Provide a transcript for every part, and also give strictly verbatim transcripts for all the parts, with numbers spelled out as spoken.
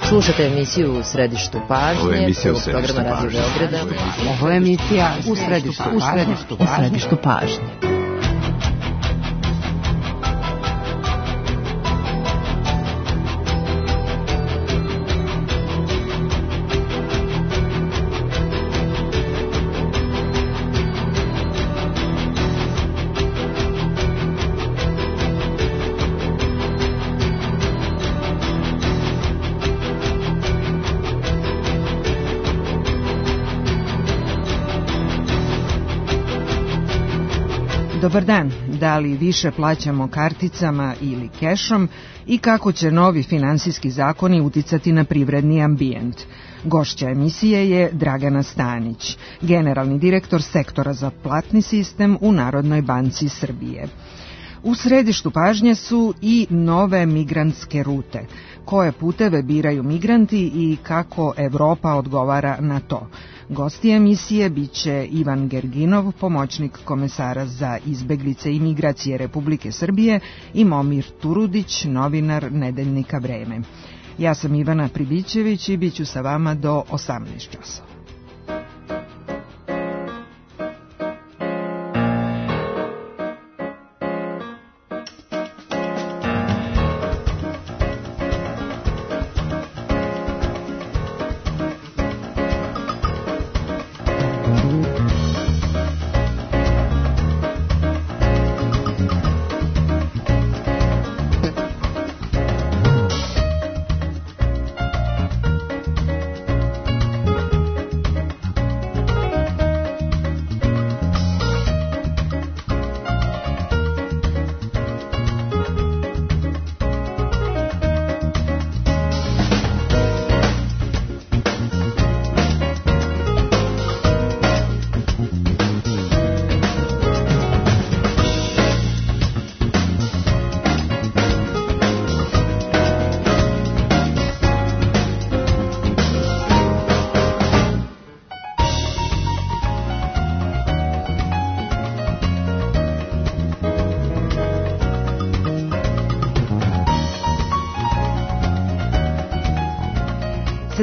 Slušate emisiju U središtu pažnje. Ovo je emisija U središtu programa Radio Beograda. Ovo je emisija U središtu pažnje. U središtu pažnje. Dobar dan, da li više plaćamo karticama ili kešom i kako će novi finansijski zakoni uticati na privredni ambijent? Gošća emisije je Dragana Stanić, generalni direktor sektora za platni sistem u Narodnoj banci Srbije. U središtu pažnje su i nove migrantske rute. Koje puteve biraju migranti i kako Evropa odgovara na to? Gosti emisije biće Ivan Gerginov, pomoćnik komesara za izbeglice i migracije Republike Srbije, i Momir Turudić, novinar nedeljnika Vreme. Ja sam Ivana Pribićević i bit ću sa vama do osamnaest časova.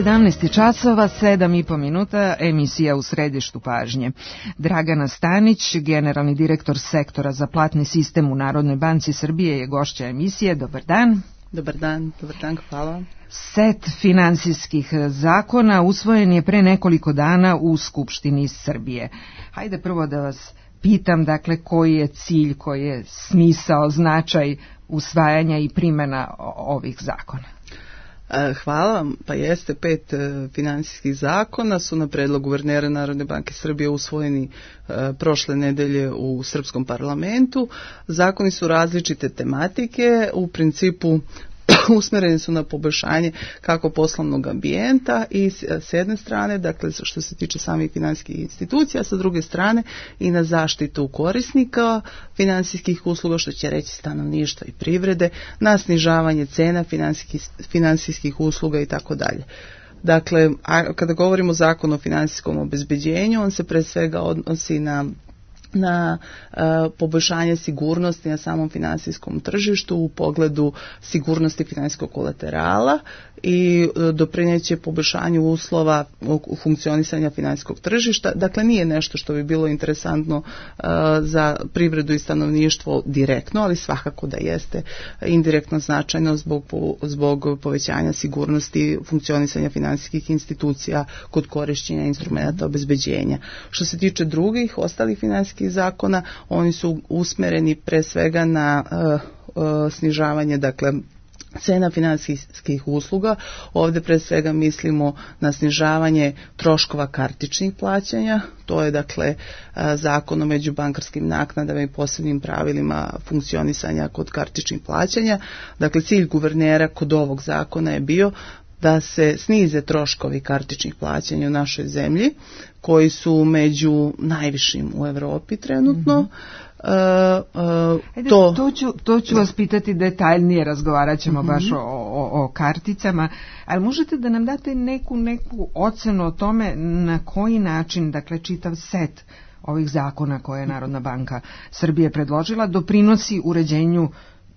sedamnaest časova, sedam i po minuta, emisija U središtu pažnje. Dragana Stanić, generalni direktor sektora za platni sistem u Narodnoj banci Srbije, je gošća emisije. Dobar dan. Dobar dan, dobar dan, hvala. Set finansijskih zakona usvojen je pre nekoliko dana u Skupštini Srbije. Hajde prvo da vas pitam, dakle, koji je cilj, koji je smisao, značaj usvajanja i primjena ovih zakona? Hvala. Pa jeste, pet finansijskih zakona su na predlog guvernera Narodne banke Srbije usvojeni prošle nedelje u srpskom parlamentu. Zakoni su različite tematike, u principu usmereni su na poboljšanje kako poslovnog ambijenta i s jedne strane, dakle što se tiče samih finansijskih institucija, a sa druge strane i na zaštitu korisnika finansijskih usluga, što će reći stanovništva i privrede, na snižavanje cena finansijskih, finansijskih usluga i tako dalje. Dakle, a kada govorimo o zakonu o finansijskom obezbeđenju, on se pre svega odnosi na na uh, poboljšanje sigurnosti na samom finansijskom tržištu u pogledu sigurnosti finansijskog kolaterala i uh, doprineće poboljšanju uslova u funkcionisanja finansijskog tržišta. Dakle, nije nešto što bi bilo interesantno uh, za privredu i stanovništvo direktno, ali svakako da jeste indirektno značajno zbog, zbog povećanja sigurnosti funkcionisanja finansijskih institucija kod korišćenja instrumenta obezbeđenja. Što se tiče drugih, ostalih finansijskih zakona, oni su usmjereni pre svega na uh, uh, snižavanje, dakle, cena financijskih usluga. Ovdje pre svega mislimo na snižavanje troškova kartičnih plaćanja. To je, dakle, zakon o međubankarskim naknadama i posebnim pravilima funkcionisanja kod kartičnih plaćanja. Dakle, cilj guvernera kod ovog zakona je bio da se snize troškovi kartičnih plaćanja u našoj zemlji, koji su među najvišim u Europi trenutno. Mm-hmm. Uh, uh, Ajde, to... To, ću, to ću vas pitati detaljnije, razgovarat ćemo mm-hmm. baš o, o, o karticama, ali možete da nam date neku, neku ocenu o tome na koji način, dakle, čitav set ovih zakona koje je Narodna banka Srbije predložila doprinosi uređenju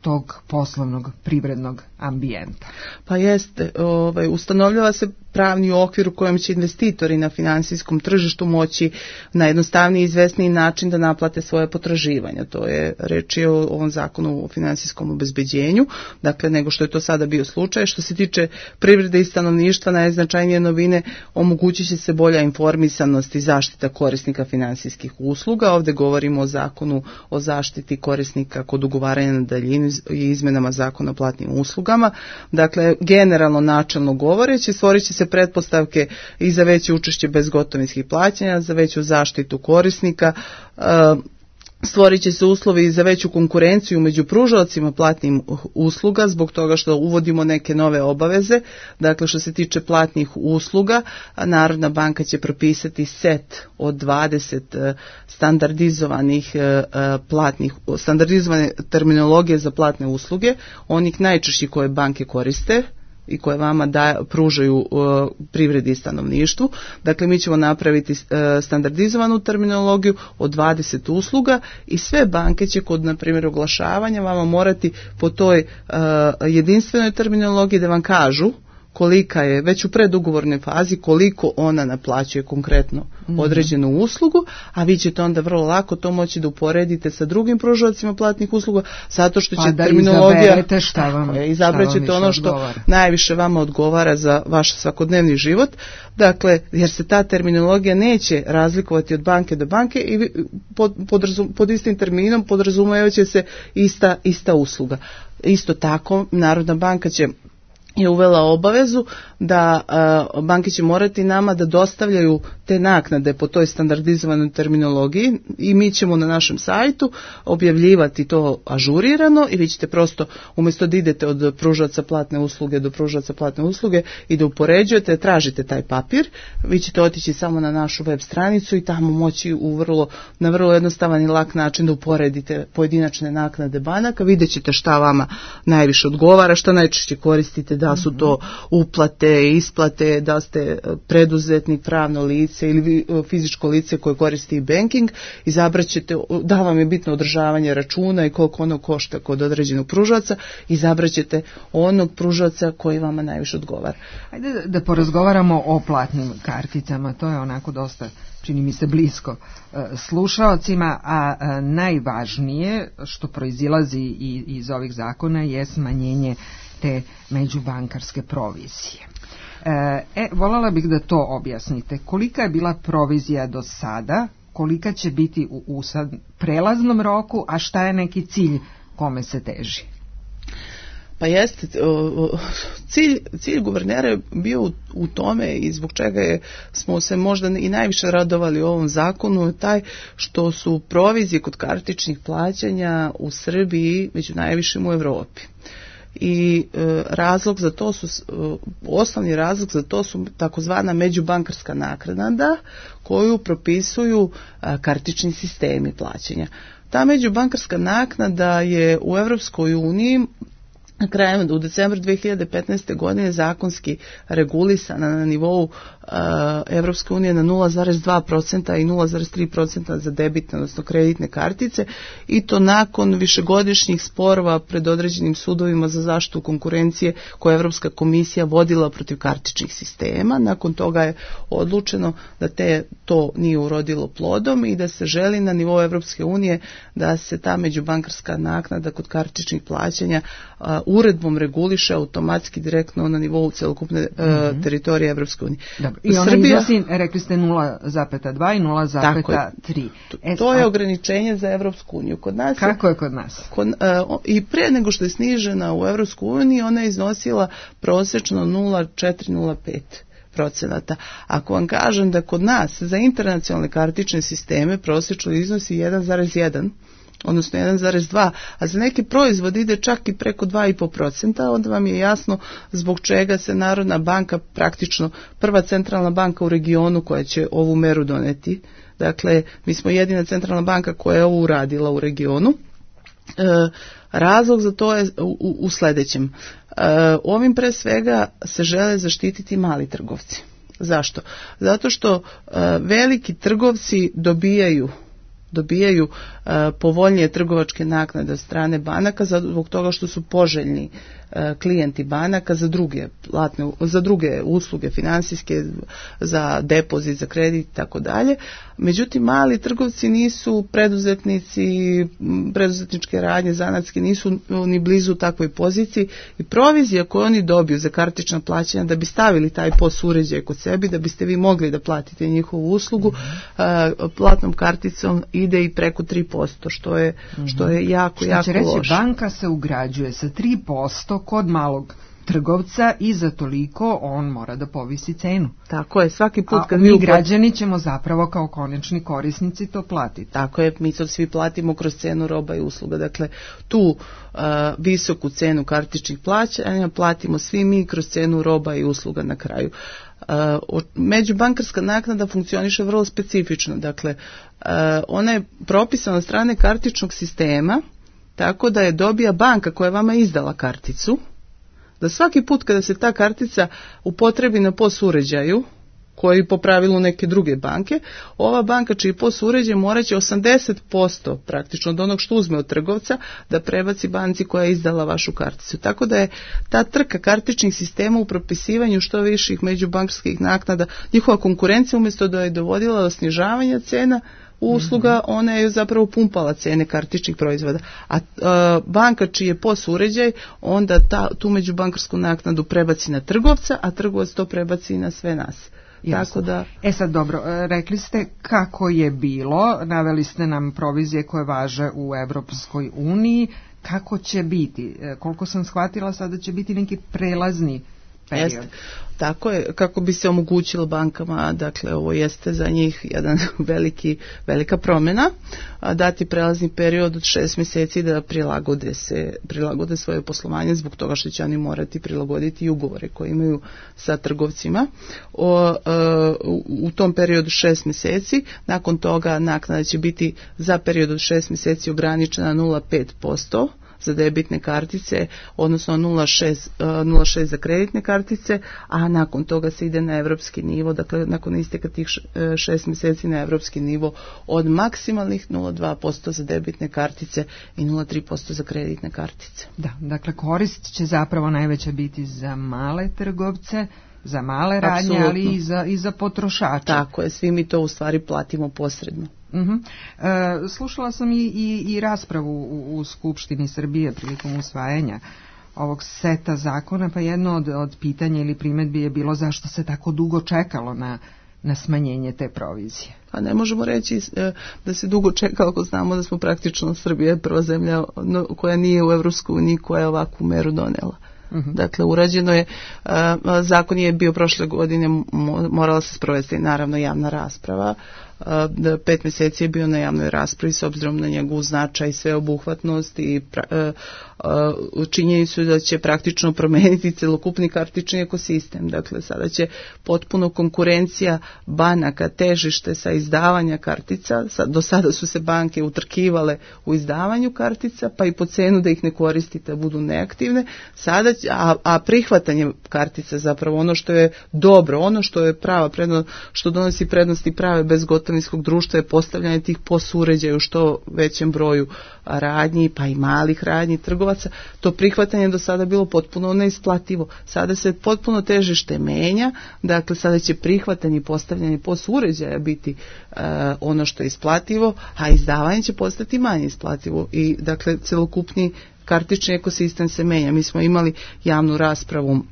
tog poslovnog privrednog ambijenta? Pa jeste, ovaj, ustanovljava se pravni okvir u kojem će investitori na financijskom tržištu moći na jednostavniji i izvesniji način da naplate svoje potraživanja. To je reč je o ovom zakonu o financijskom obezbeđenju, dakle nego što je to sada bio slučaj. Što se tiče privrede i stanovništva, najznačajnije novine, omogućit će se bolja informisanost i zaštita korisnika financijskih usluga. Ovdje govorimo o zakonu o zaštiti korisnika kod ugovaranja na daljinu i izmenama zakona o platnim uslugama. Dakle, generalno načelno govoreći, stvorit će se pretpostavke i za veće učešće bezgotovinskih plaćanja, za veću zaštitu korisnika, stvorit će se uslovi za veću konkurenciju među pružaocima platnih usluga zbog toga što uvodimo neke nove obaveze. Dakle, što se tiče platnih usluga, Narodna banka će propisati set od dvadeset standardizovanih platnih, standardizovane terminologije za platne usluge, onih najčešćih koje banke koriste i koje vama da, pružaju uh, privredi i stanovništvu. Dakle, mi ćemo napraviti uh, standardizovanu terminologiju od dvadeset usluga i sve banke će kod, na primjer, oglašavanja vama morati po toj uh, jedinstvenoj terminologiji da vam kažu kolika je, već u predugovornoj fazi, koliko ona naplaćuje konkretno određenu uslugu, a vi ćete onda vrlo lako to moći da uporedite sa drugim pružaocima platnih usluga, zato što će pa da terminologija, šta vam, je, izabrat ćete ono što odgovara. Najviše vama odgovara za vaš svakodnevni život, dakle, jer se ta terminologija neće razlikovati od banke do banke i pod, podrazum, pod istim terminom podrazumijeva će se ista, ista usluga. Isto tako, Narodna banka će je uvela obavezu da uh, banke će morati nama da dostavljaju te naknade po toj standardizovanoj terminologiji i mi ćemo na našem sajtu objavljivati to ažurirano i vi ćete prosto umjesto da idete od pružaoca platne usluge do pružaoca platne usluge i da upoređujete, tražite taj papir, vi ćete otići samo na našu web stranicu i tamo moći u vrlo, na vrlo jednostavan i lak način da uporedite pojedinačne naknade banaka, vidjet ćete šta vama najviše odgovara, šta najčešće koristite, da su to uplate, isplate, da ste preduzetnik, pravno lice ili fizičko lice koje koristi banking, izabrat ćete, da vam je bitno održavanje računa i koliko ono košta kod određenog pružaoca, izabrat ćete onog pružaoca koji vama najviše odgovara. Ajde da, da porazgovaramo o platnim karticama, to je onako dosta, čini mi se, blisko slušaocima, a najvažnije što proizilazi iz ovih zakona je smanjenje te međubankarske provizije. E, voljela bih da to objasnite. Kolika je bila provizija do sada, kolika će biti u, u sad prelaznom roku, a šta je neki cilj kome se teži? Pa jeste, cilj, cilj guvernera je bio u, u tome i zbog čega je, smo se možda i najviše radovali u ovom zakonu, taj što su provizije kod kartičnih plaćanja u Srbiji među najvišim u Evropi. I e, razlog za to su, e, osnovni razlog za to su takozvana međubankarska naknada koju propisuju e, kartični sistemi plaćanja. Ta međubankarska naknada je u Europskoj uniji na kraju u decembru dve hiljade petnaeste. godine zakonski regulisana na nivou uh, Evropske unije na nula zarez dva posto i nula zarez tri posto za debitne, odnosno kreditne kartice i to nakon višegodišnjih sporova pred određenim sudovima za zaštitu konkurencije koje je Evropska komisija vodila protiv kartičnih sistema. Nakon toga je odlučeno da te, to nije urodilo plodom i da se želi na nivou Evropske unije da se ta međubankarska naknada kod kartičnih plaćanja uh, uredbom reguliše automatski direktno na nivou celokupne mm-hmm. uh, teritorije Evropske unije. I ona Srbija, iznosi, rekli ste nula zarez dva i nula zarez tri. To, to je ograničenje za Evropsku uniju. Kod nas Kako je kod nas? Kod, uh, I pre nego što je snižena u Evropsku uniju, ona je iznosila prosečno nula zarez četiri nula pet procenata. Ako vam kažem da kod nas za internacionalne kartične sisteme prosječno iznosi jedan zarez jedan, odnosno jedan zarez dva, a za neki proizvod ide čak i preko dva zarez pet posto, onda vam je jasno zbog čega se Narodna banka, praktično prva centralna banka u regionu koja će ovu meru doneti. Dakle, mi smo jedina centralna banka koja je ovo uradila u regionu. E, razlog za to je u, u sljedećem. E, ovim pre svega se žele zaštititi mali trgovci. Zašto? Zato što e, veliki trgovci dobijaju dobijaju uh, povoljnije trgovačke naknade od strane banaka zbog toga što su poželjni uh, klijenti banaka za druge platne, za druge usluge financijske, za depozit, za kredit i tako dalje. Međutim, mali trgovci nisu preduzetnici, preduzetničke radnje, zanatske, nisu ni blizu takvoj poziciji i provizija koju oni dobiju za kartična plaćanja da bi stavili taj P O S uređaj kod sebi, da biste vi mogli da platite njihovu uslugu, mm-hmm. uh, platnom karticom ide i preko tri posto, što je, mm-hmm. što je jako, što jako će reći, loše. Banka se ugrađuje sa tri posto kod malog trgovca i za toliko on mora da povisi cenu. Tako je, svaki put kad A mi mi uplat... građani ćemo zapravo kao konečni korisnici to platiti. Tako je, mi to svi platimo kroz cenu roba i usluga. Dakle, tu uh, visoku cenu kartičnih plaćanja platimo svi mi kroz cenu roba i usluga na kraju. Uh, međubankarska naknada funkcioniše vrlo specifično. Dakle, uh, ona je propisana od strane kartičnog sistema tako da je dobija banka koja je vama izdala karticu, da svaki put kada se ta kartica upotrebi na P O S uređaju, koji po pravilu neke druge banke, ova banka čiji P O S uređaj morat će osamdeset posto praktično od onog što uzme od trgovca da prebaci banci koja je izdala vašu karticu. Tako da je ta trka kartičnih sistema u propisivanju što viših međubankarskih naknada, njihova konkurencija umjesto da je dovodila do snižavanja cena usluga, ona je zapravo pumpala cene kartičnih proizvoda. A, a banka čiji je P O S uređaj, onda ta, tu međubankarsku naknadu prebaci na trgovca, a trgovac to prebaci na sve nas. Tako da... E sad dobro, rekli ste kako je bilo, naveli ste nam provizije koje važe u Evropskoj uniji, kako će biti? Koliko sam shvatila, sada će biti neki prelazni period. Jeste. Tako je, kako bi se omogućilo bankama, dakle ovo jeste za njih jedan veliki, velika promjena, dati prelazni period od šest mjeseci da prilagode se, prilagode svoje poslovanje zbog toga što će oni morati prilagoditi i ugovore koje imaju sa trgovcima. O, u, u tom periodu šest mjeseci, nakon toga naknada će biti za period od šest mjeseci ograničena nula zarez pet posto za debitne kartice, odnosno nula zarez šest za kreditne kartice, a nakon toga se ide na evropski nivo, dakle nakon isteka tih šest mjeseci na evropski nivo od maksimalnih nula zarez dva posto za debitne kartice i nula zarez tri posto za kreditne kartice. Da, dakle korist će zapravo najveća biti za male trgovce, za male radnje, Absolutno. ali i za, i za potrošače. Tako je, svi mi to u stvari platimo posredno. Uh-huh. E, slušala sam i, i, i raspravu u, u Skupštini Srbije prilikom usvajanja ovog seta zakona, pa jedno od, od pitanja ili primjedbi je bilo zašto se tako dugo čekalo na, na smanjenje te provizije. Pa ne možemo reći da se dugo čekalo ako znamo da smo praktično Srbija prva zemlja koja nije u Evropskoj uniji koja je ovakvu meru donela. Uh-huh. Dakle, urađeno je, a, zakon je bio prošle godine, morala se sprovesti naravno javna rasprava, a, da pet mjeseci je bio na javnoj raspravi s obzirom na njegov značaj, sveobuhvatnost i pra, a, a, činjenicu da će praktično promijeniti celokupni kartični ekosistem. Dakle, sada će potpuno konkurencija banaka, težište sa izdavanja kartica, do sada su se banke utrkivale u izdavanju kartica, pa i po cenu da ih ne koristite, budu neaktivne, sada A, a prihvatanje kartica zapravo ono što je dobro, ono što je prava prednost, što donosi prednosti prave bezgotovinskog društva je postavljanje tih P O S uređaja u što većem broju radnji, pa i malih radnji trgovaca. To prihvatanje do sada bilo potpuno neisplativo. Sada se potpuno težište menja, dakle sada će prihvatanje i postavljanje P O S uređaja biti uh, ono što je isplativo, a izdavanje će postati manje isplativo i dakle celokupni kartični ekosistem se menja. Mi smo imali javnu raspravu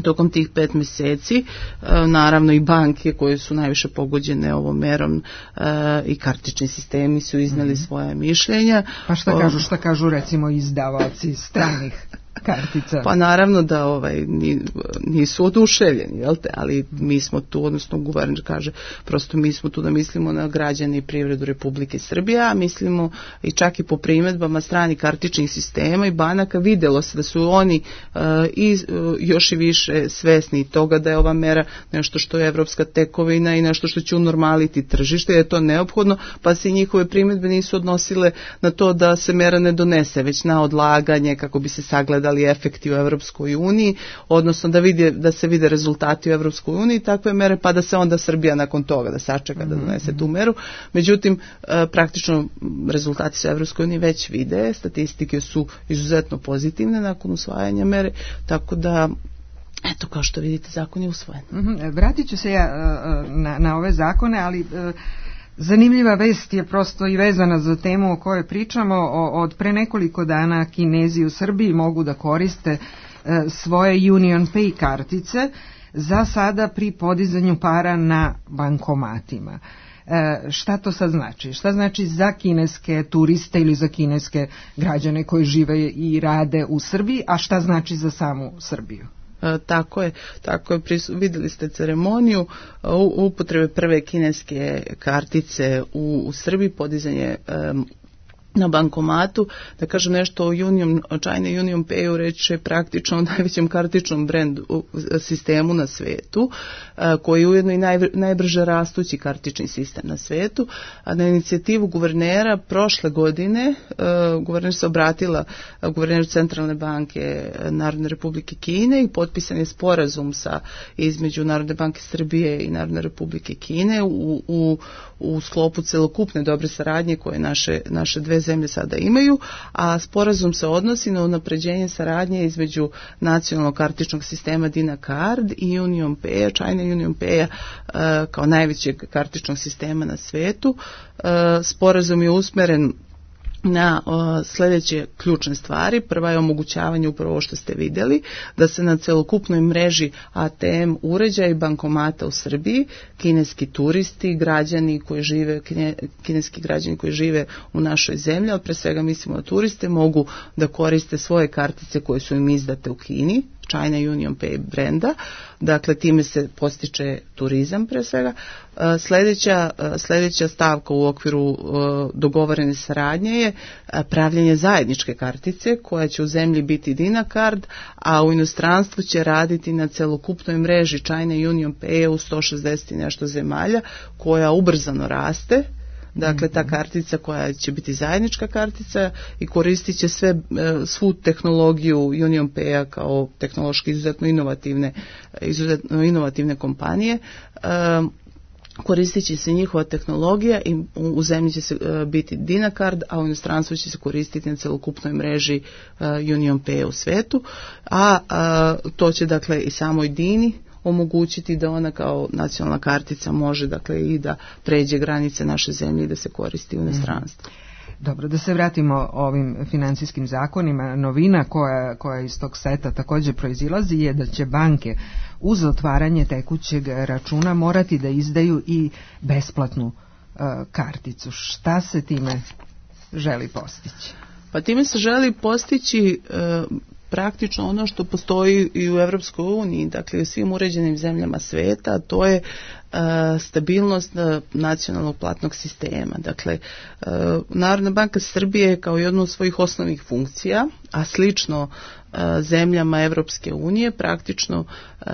tokom tih pet mjeseci, naravno i banke koje su najviše pogođene ovom merom i kartični sistemi su iznijeli mm-hmm. svoje mišljenja. Pa šta kažu, šta kažu recimo izdavaoci stranih kartica? Pa naravno da ovaj nisu oduševljeni, jel te, ali mi smo tu, odnosno guverner kaže, prosto mi smo tu da mislimo na građane i privredu Republike Srbije, a mislimo i čak i po primjedbama stranih kartičnih sistema i banaka vidjelo se da su oni uh, i uh, još i više svesni toga da je ova mera nešto što je evropska tekovina i nešto što će unormaliti tržište, je to neophodno, pa se njihove primjedbe nisu odnosile na to da se mera ne donese, već na odlaganje kako bi se sagledala testirali efekti u Europskoj uniji, odnosno da, vide, da se vide rezultati u Europskoj uniji takve mere, pa da se onda Srbija nakon toga da sačeka da donese tu meru. Međutim, praktično rezultati su u Europskoj uniji već vide, statistike su izuzetno pozitivne nakon usvajanja mere, tako da eto, kao što vidite, zakon je usvojen. Mm-hmm. Vratit ću se ja na, na ove zakone, ali zanimljiva vest je prosto i vezana za temu o kojoj pričamo. Od pre nekoliko dana Kinezi u Srbiji mogu da koriste svoje Union Pay kartice za sada pri podizanju para na bankomatima. E, šta to sad znači? Šta znači za kineske turiste ili za kineske građane koji žive i rade u Srbiji, a šta znači za samu Srbiju? E, tako je, tako je, prisu, vidjeli ste ceremoniju upotrebe prve kineske kartice u, u Srbiji, podizanje um, na bankomatu. Da kažem nešto o Union, China Union Payu, reći je praktično o najvećem kartičnom brendu sistemu na svetu, koji je ujedno i naj, najbrže rastući kartični sistem na svetu. A na inicijativu guvernera prošle godine, guverner se obratila guverneru Centralne banke Narodne Republike Kine i potpisan je sporazum sa između Narodne banke Srbije i Narodne Republike Kine u, u, u sklopu celokupne dobre saradnje koje naše, naše dve zemlje sada imaju, a sporazum se odnosi na unapređenje saradnje između nacionalnog kartičnog sistema Dina Card i Union Pay, China Union Pay kao najvećeg kartičnog sistema na svetu. Sporazum je usmeren na o, sljedeće ključne stvari. Prva je omogućavanje upravo ovo što ste vidjeli, da se na celokupnoj mreži A T M uređaja i bankomata u Srbiji kineski turisti, građani koji žive, kine, kineski građani koji žive u našoj zemlji, ali pre svega mislimo na turiste, mogu da koriste svoje kartice koje su im izdate u Kini, China Union Pay brenda, dakle time se postiče turizam pre svega. Sljedeća, sljedeća stavka u okviru dogovorene saradnje je pravljenje zajedničke kartice koja će u zemlji biti Dina Card, a u inostranstvu će raditi na celokupnoj mreži China Union Pay u sto šezdeset i nešto zemalja koja ubrzano raste. Dakle, ta kartica koja će biti zajednička kartica i koristit će sve, svu tehnologiju Union Pay-a kao tehnološki izuzetno inovativne, izuzetno inovativne kompanije. Koristit će se njihova tehnologija i u zemlji će se biti Dina Card, a u inostranstvu će se koristiti na celokupnoj mreži Union Pay u svetu, a, a to će dakle i samoj Dini omogućiti da ona kao nacionalna kartica može dakle i da pređe granice naše zemlje i da se koristi u inostranstvu. Dobro, da se vratimo ovim financijskim zakonima. Novina koja, koja iz tog seta također proizilazi je da će banke uz otvaranje tekućeg računa morati da izdaju i besplatnu uh, karticu. Šta se time želi postići? Pa time se želi postići uh, praktično ono što postoji i u Europskoj uniji, dakle u svim uređenim zemljama sveta, to je uh, stabilnost uh, nacionalnog platnog sistema. Dakle, uh, Narodna banka Srbije kao jednu od svojih osnovnih funkcija, a slično uh, zemljama Europske unije, praktično uh,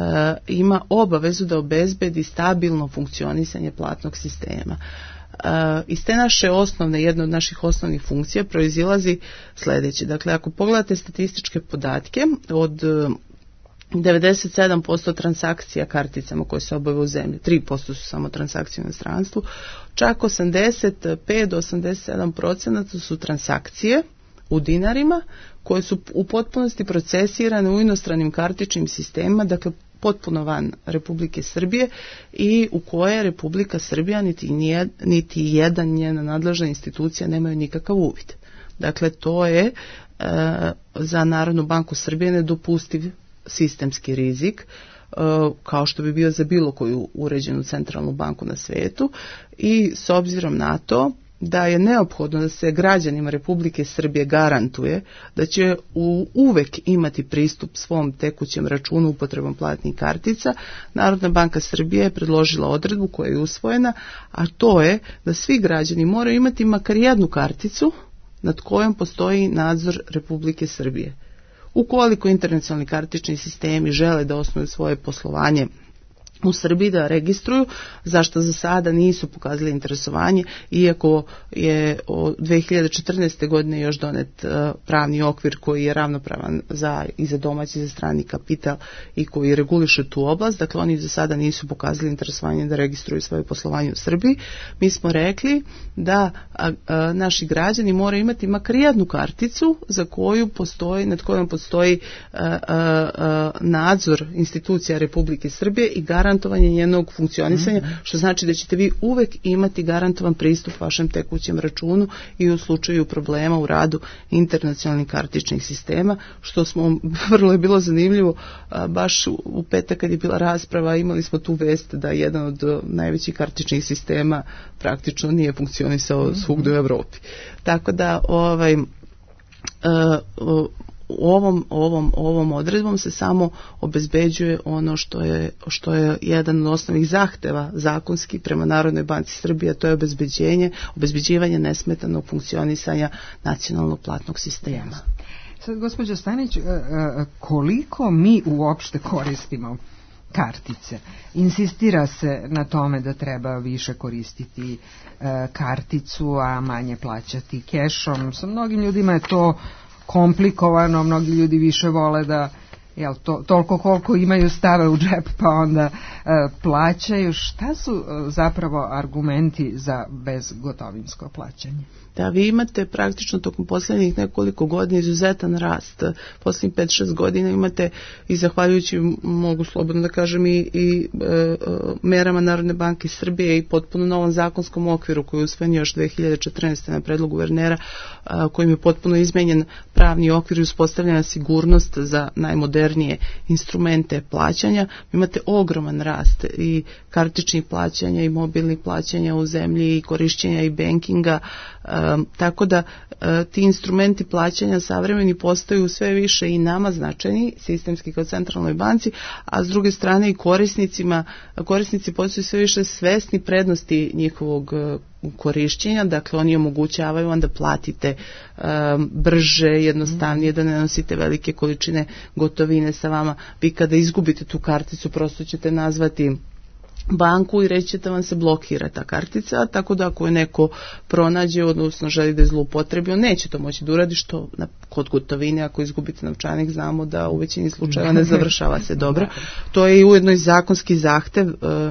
ima obavezu da obezbedi stabilno funkcionisanje platnog sistema. Uh, iz te naše osnovne, jedna od naših osnovnih funkcija proizilazi sljedeće. Dakle, ako pogledate statističke podatke, od uh, devedeset sedam posto transakcija karticama koje se obave u zemlji, tri posto su samo transakcije u inostranstvu, čak osamdeset pet do osamdeset sedam posto su transakcije u dinarima koje su u potpunosti procesirane u inostranim kartičnim sistemima, dakle potpuno van Republike Srbije i u koje Republika Srbija niti, nije, niti jedan njena nadležna institucija nemaju nikakav uvid. Dakle, to je e, za Narodnu banku Srbije nedopustiv sistemski rizik, e, kao što bi bio za bilo koju uređenu centralnu banku na svijetu, i s obzirom na to da je neophodno da se građanima Republike Srbije garantuje da će u, uvek imati pristup svom tekućem računu upotrebom platnih kartica, Narodna banka Srbije je predložila odredbu koja je usvojena, a to je da svi građani moraju imati makar jednu karticu nad kojom postoji nadzor Republike Srbije. Ukoliko internacionalni kartični sistemi žele da osnuju svoje poslovanje u Srbiji da registruju, zašto za sada nisu pokazali interesovanje, iako je od dve hiljade četrnaeste. godine još donet pravni okvir koji je ravnopravan za, i za domaći i za strani kapital i koji reguliše tu oblast. Dakle, oni za sada nisu pokazali interesovanje da registruju svoje poslovanje u Srbiji. Mi smo rekli da a, a, naši građani moraju imati makar jednu karticu za koju postoji, nad kojom postoji a, a, a, nadzor institucija Republike Srbije i garantovanje njenog funkcionisanja, mm-hmm. što znači da ćete vi uvek imati garantovan pristup vašem tekućem računu i u slučaju problema u radu internacionalnih kartičnih sistema, što smo, vrlo je bilo zanimljivo, baš u petak kad je bila rasprava, imali smo tu vest da jedan od najvećih kartičnih sistema praktično nije funkcionisao mm-hmm. svugdje u Evropi. Tako da ovaj uh, uh, Ovom, ovom, ovom odredbom se samo obezbeđuje ono što je, što je jedan od osnovnih zahteva zakonski prema Narodnoj banci Srbije, to je obezbeđenje, obezbeđivanje nesmetanog funkcionisanja nacionalnog platnog sistema. Sad, gospođo Stanić, koliko mi uopšte koristimo kartice? Insistira se na tome da treba više koristiti karticu, a manje plaćati kešom. Sa mnogim ljudima je to komplikovano, mnogi ljudi više vole da jel, to, toliko koliko imaju stave u džep pa onda e, plaćaju. Šta su e, zapravo argumenti za bezgotovinsko plaćanje? Da, vi imate praktično tokom posljednjih nekoliko godina izuzetan rast. Posljednjih pet šest godina imate i zahvaljujući, mogu slobodno da kažem, i, i e, merama Narodne banke Srbije i potpuno novom zakonskom okviru koji je usvojen još dve hiljade četrnaeste. na predlog guvernera, a, kojim je potpuno izmenjen pravni okvir i uspostavljena sigurnost za najmodernije instrumente plaćanja. Imate ogroman rast i kartičnih plaćanja i mobilnih plaćanja u zemlji i korišćenja i bankinga. Um, tako da uh, ti instrumenti plaćanja savremeni postaju sve više i nama značajni, sistemski kao centralnoj banci, a s druge strane i korisnicima, korisnici postaju sve više svesni prednosti njihovog uh, korišćenja, dakle oni omogućavaju onda platite um, brže, jednostavnije, da ne nosite velike količine gotovine sa vama. Vi kada izgubite tu karticu prosto ćete nazvati banku i reći da vam se blokira ta kartica, tako da ako je neko pronađe, odnosno želi da je zloupotrebi, on neće to moći da uradi, što na, kod gotovine, ako izgubite novčanik, znamo da u većini slučajeva ne završava se dobro. To je i ujedno i zakonski zahtev,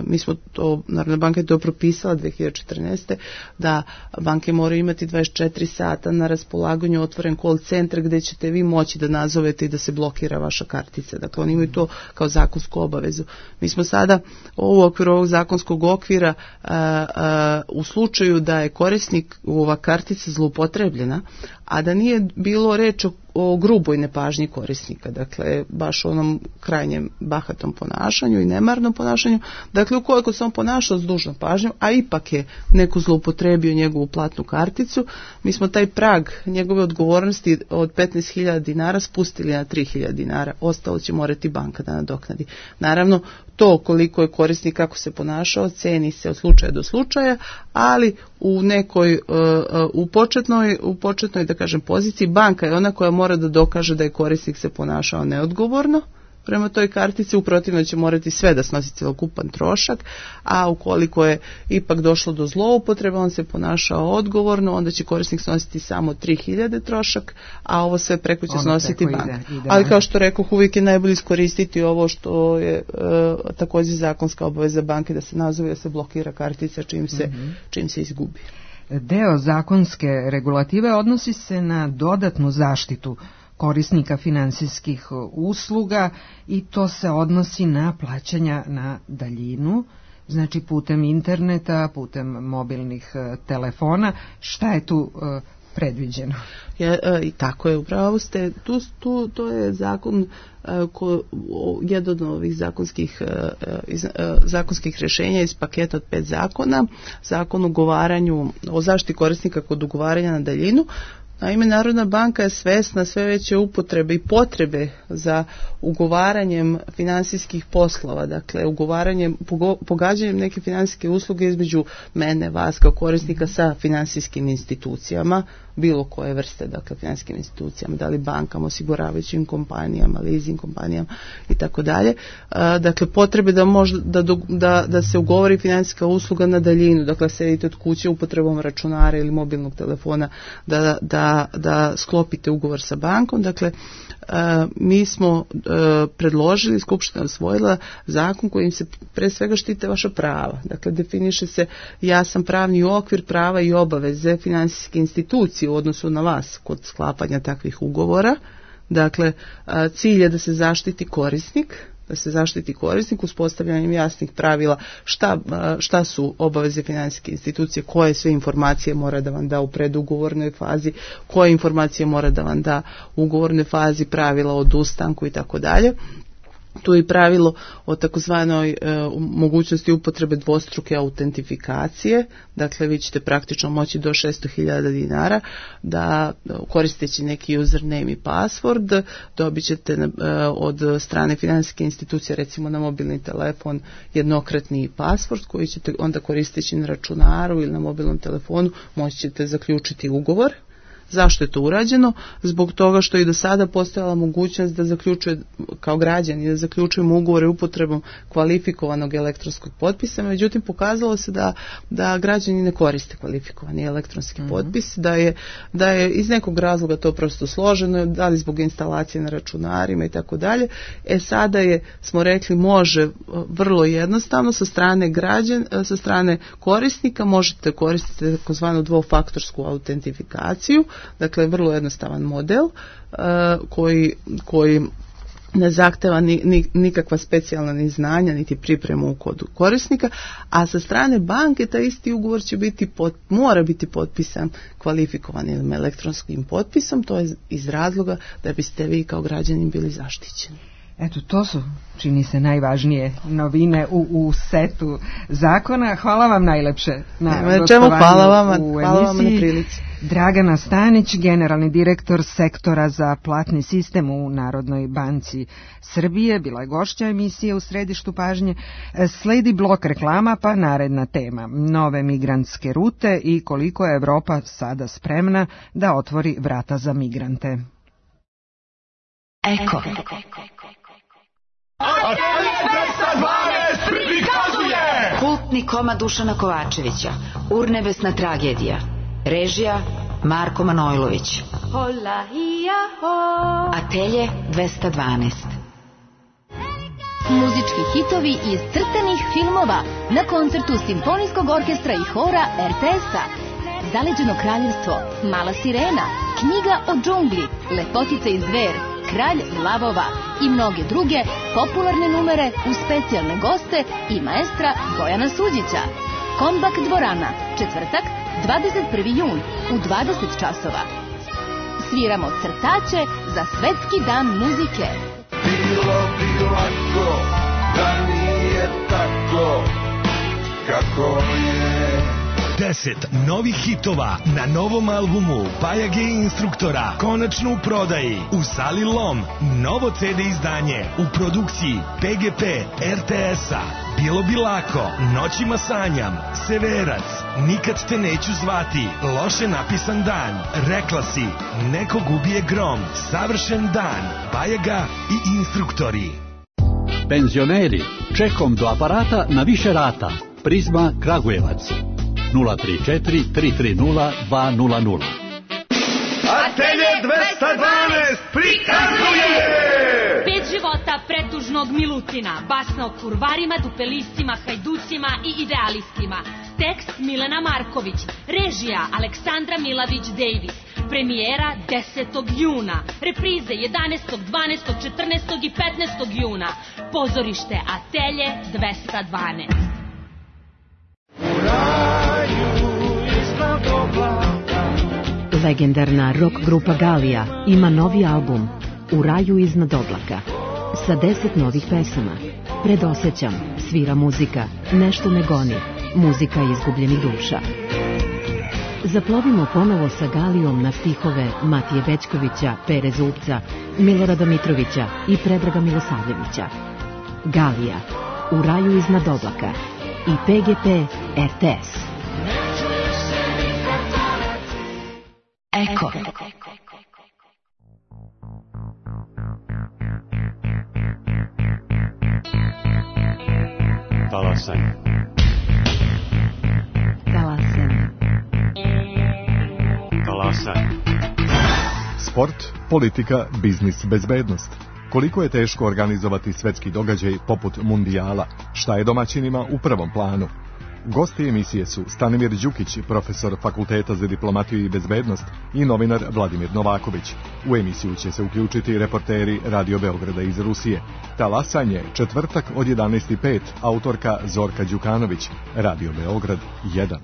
mi smo to, Narodna banka je to propisala dve hiljade četrnaeste. da banke moraju imati dvadeset četiri sata na raspolaganju otvoren call centar gdje ćete vi moći da nazovete i da se blokira vaša kartica. Dakle, oni imaju to kao zakonsku obavezu. Mi smo sada u okviru ovog zakonskog okvira a, a, u slučaju da je korisnik ova kartica zloupotrebljena, a da nije bilo reč o, o gruboj nepažnji korisnika, dakle baš onom krajnjem bahatom ponašanju i nemarnom ponašanju, dakle ukoliko se on ponašao s dužnom pažnjom, a ipak je neko zloupotrebio njegovu platnu karticu, mi smo taj prag njegove odgovornosti od petnaest hiljada dinara spustili na tri hiljade dinara, ostalo će morati banka da nadoknadi. Naravno, to koliko je korisnik, kako se ponašao, ceni se od slučaja do slučaja, ali u nekoj, u početnoj, u početnoj, da kažem, poziciji, banka je ona koja mora da dokaže da je korisnik se ponašao neodgovorno prema toj kartici, u protivno će morati sve da snosi cjelokupan trošak, a ukoliko je ipak došlo do zloupotrebe, on se ponašao odgovorno, onda će korisnik snositi samo tri hiljade trošak, a ovo sve preko će ono snositi banka. Ide, ide. Ali kao što rekoh, uvijek je najbolje iskoristiti ovo što je e, također zakonska obaveza banke, da se nazove, da se blokira kartica čim se, mm-hmm. čim se izgubi. Deo zakonske regulative odnosi se na dodatnu zaštitu korisnika finansijskih usluga i to se odnosi na plaćanja na daljinu, znači putem interneta, putem mobilnih telefona. Šta je tu uh, predviđeno? Ja, i tako je, upravo ste, tu, tu, to je zakon, ko, jedan od ovih zakonskih, iz, zakonskih rješenja iz paketa od pet zakona, zakon o ugovaranju, o zaštiti korisnika kod ugovaranja na daljinu. Naime, Narodna banka je svesna sve veće upotrebe i potrebe za ugovaranjem finansijskih poslova, dakle ugovaranjem, pogađanjem neke finansijske usluge između mene, vas kao korisnika sa finansijskim institucijama, bilo koje vrste, dakle financijskim institucijama, da li bankama, osiguravajućim kompanijama, leasing kompanijama i tako dalje. Dakle, potrebe da, možda, da, da, da se ugovori financijska usluga na daljinu, dakle sedite od kuće upotrebom računara ili mobilnog telefona, da, da, da sklopite ugovor sa bankom. Dakle, mi smo predložili, Skupština usvojila zakon kojim se pre svega štite vaša prava. Dakle, definiše se jasan pravni okvir prava i obaveze financijske institucije u odnosu na vas kod sklapanja takvih ugovora. Dakle, cilj je da se zaštiti korisnik, da se zaštiti korisnik uspostavljanjem jasnih pravila šta, šta su obaveze financijske institucije, koje sve informacije mora da vam da u predugovornoj fazi, koje informacije mora da vam da u ugovornoj fazi, pravila o odustanku i tako dalje. Tu je i pravilo o takozvanoj e, mogućnosti upotrebe dvostruke autentifikacije, dakle vi ćete praktično moći do šesto hiljada dinara da koristeći neki username i password dobit ćete e, od strane financijske institucije recimo na mobilni telefon jednokratni password koji ćete onda koristeći na računaru ili na mobilnom telefonu moći ćete zaključiti ugovor. Zašto je to urađeno? Zbog toga što i do sada postojala mogućnost da zaključuje kao građani, da zaključujemo ugovore upotrebom kvalifikovanog elektronskog potpisa, međutim pokazalo se da, da građani ne koriste kvalifikovani elektronski mm-hmm. potpis, da je, da je iz nekog razloga to prosto složeno, da li zbog instalacije na računarima i tako dalje. E sada je, smo rekli, može vrlo jednostavno sa strane građan, sa strane korisnika možete koristiti takozvanu dvofaktorsku autentifikaciju. Dakle, vrlo jednostavan model uh, koji, koji ne zahteva ni, ni, nikakva specijalna ni znanja, niti pripremu kod korisnika, a sa strane banke taj isti ugovor će biti pot, mora biti potpisan kvalifikovanim elektronskim potpisom, to je iz razloga da biste vi kao građanin bili zaštićeni. Eto, to su, čini se, najvažnije novine u, u setu zakona. Hvala vam najlepše na Nema, gostovanju hvala vama, u hvala vam na emisiji. prilici. Dragana Stanić, generalni direktor sektora za platni sistem u Narodnoj banci Srbije, bila je gošća emisije u središtu pažnje. Sledi blok reklama, pa naredna tema. Nove migrantske rute i koliko je Evropa sada spremna da otvori vrata za migrante. Eko. dvesta dvanaest prikazuje kultni komad Dušana Kovačevića, Urnebesna tragedija, režija Marko Manojlović. Atelje dvesta dvanaest. Muzički hitovi iz crtanih filmova na koncertu Simfonijskog orkestra i hora er te es-a. Zaleđeno kraljevstvo, Mala sirena, Knjiga o džungli, Lepotica i zver, Kralj lavova i mnoge druge popularne numere uz specijalne goste i maestra Bojana Suđića. Kombak dvorana, četvrtak, dvadeset prvi jun u dvadeset časova. Sviramo crtaće za Svetski dan muzike. Bilo bi lako da nije tako kako je. Deset novih hitova na novom albumu Bajage instruktora konačno u prodaji u Sali Lom. Novo ce de izdanje u produkciji pe ge pe er te es-a. Bilo bi lako, Noćima sanjam, Severac, Nikad te neću zvati, Loše napisan dan, Rekla si, Nekog ubije grom, Savršen dan, Bajaga i instruktori. Penzioneri, čekom do aparata na više rata. Prizma Kragujevac. nula tri četiri tri tri nula dva nula nula. Atelje dvesta dvanaest prikazuje Pet života pretužnog Milutina, basna o kurvarima, dupelistima, hajducima i idealistima. Tekst Milena Marković, režija Aleksandra Milavić-Davis. Premijera desetog juna, reprize jedanaestog, dvanaestog, četrnaestog i petnaestog juna. Pozorište Atelje dvesta dvanaest. Legendarna rock grupa Galija ima novi album U raju iznad oblaka sa deset novih pesama. Predosećam, svira muzika, nešto me goni, muzika izgubljenih duša. Zaplovimo ponovo sa Galijom na stihove Matije Bećkovića, Pere Zubca, Milorada Mitrovića i Predraga Milosavljevića. Galija, U raju iznad oblaka i pe ge pe er te es. Eko. Talasaj. Talasaj. Talasaj. Sport, politika, biznis, bezbednost. Koliko je teško organizovati svetski događaj poput mundijala? Šta je domaćinima u prvom planu? Gosti emisije su Stanimir Đukić, profesor Fakulteta za diplomatiju i bezbednost, i novinar Vladimir Novaković. U emisiju će se uključiti reporteri Radio Beograda iz Rusije. Talasanje, četvrtak od jedanaest i pet, autorka Zorka Đukanović, Radio Beograd jedan.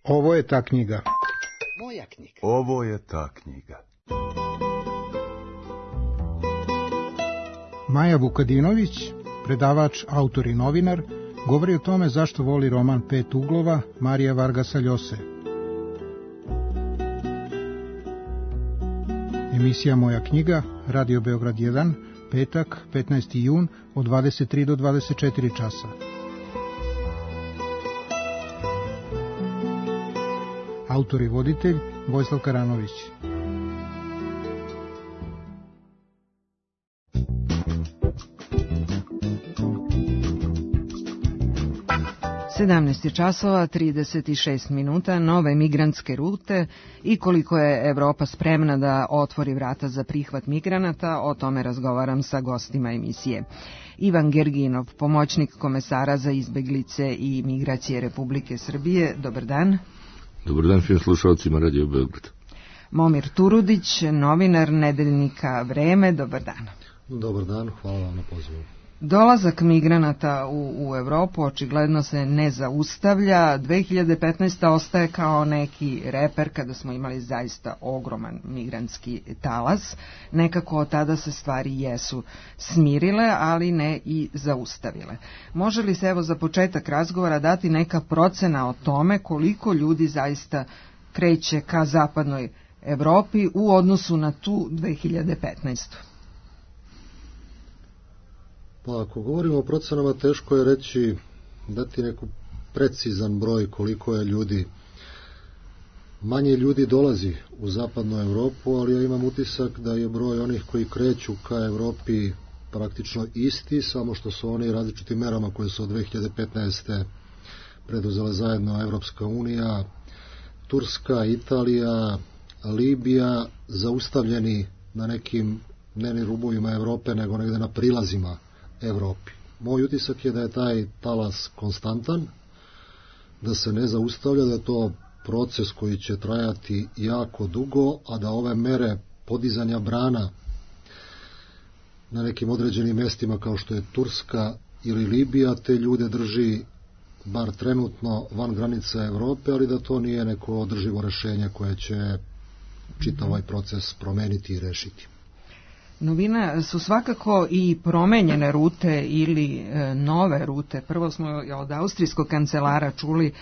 Ovo je ta knjiga. Moja knjiga. Ovo je ta knjiga. Maja Vukadinović, predavač, autor i novinar, govori o tome zašto voli roman Pet uglova Marija Vargasa Ljose. Emisija Moja knjiga, Radio Beograd jedan, petak, petnaesti jun, od dvadeset tri do dvadeset četiri časa. Autor i voditelj Vojislav Karanović. sedamnaest časova trideset šest minuta, nove migrantske rute i koliko je Evropa spremna da otvori vrata za prihvat migranata, o tome razgovaram sa gostima emisije. Ivan Gerginov, pomoćnik komesara za izbeglice i migracije Republike Srbije, dobar dan. Dobar dan svim slušalcima Radio Beograd. Momir Turudić, novinar nedeljnika Vreme, dobar dan. Dobar dan, hvala vam na pozivu. Dolazak migranata u, u Evropu očigledno se ne zaustavlja. dve hiljade petnaesta. ostaje kao neki reper kada smo imali zaista ogroman migrantski talas. Nekako od tada se stvari jesu smirile, ali ne i zaustavile. Može li se evo za početak razgovora dati neka procena o tome koliko ljudi zaista kreće ka zapadnoj Evropi u odnosu na tu dve hiljade petnaestu. Pa ako govorimo o procenama, teško je reći, dati neku precizan broj koliko je ljudi. Manje ljudi dolazi u zapadnu Evropu, ali ja imam utisak da je broj onih koji kreću ka Evropi praktično isti, samo što su oni različitim merama koje su od dve hiljade petnaeste. preduzela zajedno Evropska unija, Turska, Italija, Libija, zaustavljeni na nekim ne ni rubovima Evrope, nego negde na prilazima Evropi. Moj utisak je da je taj talas konstantan, da se ne zaustavlja, da je to proces koji će trajati jako dugo, a da ove mere podizanja brana na nekim određenim mestima kao što je Turska ili Libija te ljude drži bar trenutno van granica Evrope, ali da to nije neko održivo rešenje koje će čitav ovaj proces promeniti i rešiti. Novina su svakako i promenjene rute ili e, nove rute. Prvo smo od austrijskog kancelara čuli,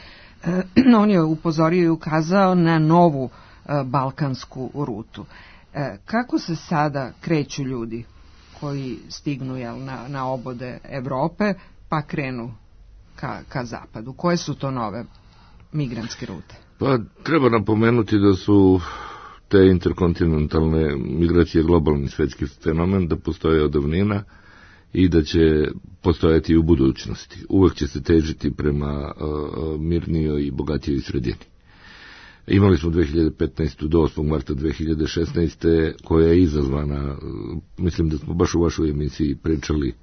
e, on je upozorio i ukazao na novu e, balkansku rutu. E, kako se sada kreću ljudi koji stignu jel, na, na obode Evrope pa krenu ka, ka zapadu? Koje su to nove migrantske rute? Pa treba napomenuti da su te interkontinentalne migracije globalni svetski fenomen, da postoje od davnina i da će postojati i u budućnosti. Uvek će se težiti prema uh, mirnijoj i bogatijoj sredini. Imali smo dve hiljade petnaeste. do osmog marta dve hiljade šesnaeste. koja je izazvana, uh, mislim da smo baš u vašoj emisiji pričali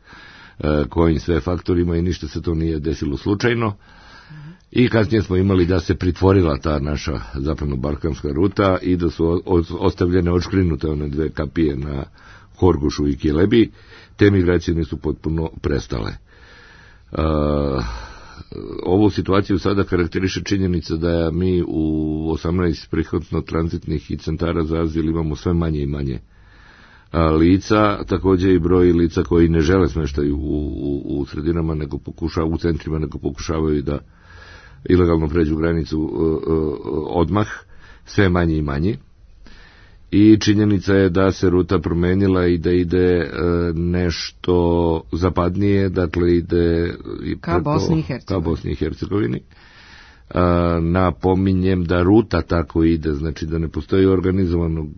uh, kojim sve faktorima i ništa se to nije desilo slučajno. I kasnije smo imali da se pritvorila ta naša zapadno-balkanska ruta i da su ostavljene odškrinute one dve kapije na Horgošu i Kilebi. Te migracije nisu potpuno prestale. Uh, ovu situaciju sada karakteriše činjenica da mi u osamnaest prihvatno-tranzitnih i centara za azil imamo sve manje i manje lica, takođe i broj lica koji ne žele smeštaju u, u, u sredinama, nego pokušavaju, u centrima, nego pokušavaju da ilegalno pređu granicu uh, uh, odmah, sve manje i manje. i činjenica je da se ruta promenila i da ide e, nešto zapadnije, dakle ide ka preko, Bosni i Hercegovini. Ka Bosni i Hercegovini. E, napominjem da ruta tako ide, znači da ne postoji organizovanog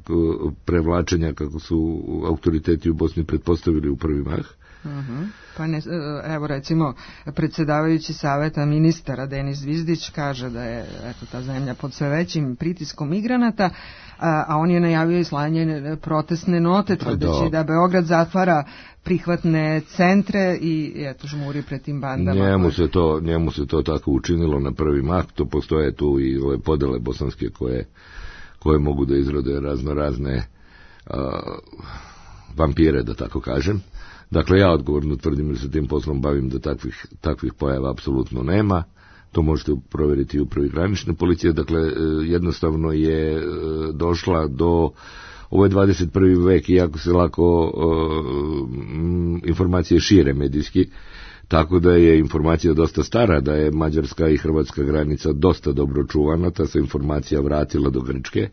prevlačenja kako su autoriteti u Bosni pretpostavili u prvi mah. Uh-huh. Pa ne, evo recimo predsjedavajući saveta ministara Denis Zvizdić kaže da je eto, ta zemlja pod sve većim pritiskom migranata, a, a on je najavio i slanje protestne note tvrdeći da. da Beograd zatvara prihvatne centre i eto žmuri pred tim bandama. Njemu se to, njemu se to tako učinilo na prvi mah, to postoje tu i ove podele bosanske koje, koje mogu da izrode razno razne a, vampire, da tako kažem. Dakle, ja odgovorno tvrdim jer se tim poslom bavim da takvih, takvih pojava apsolutno nema. To možete provjeriti u prvi granične policije. Dakle, jednostavno je došla do... Ovo je dvadeset prvi vek i jako se lako uh, informacije šire medijski, tako da je informacija dosta stara, da je mađarska i hrvatska granica dosta dobro čuvana, ta se informacija vratila do Grčke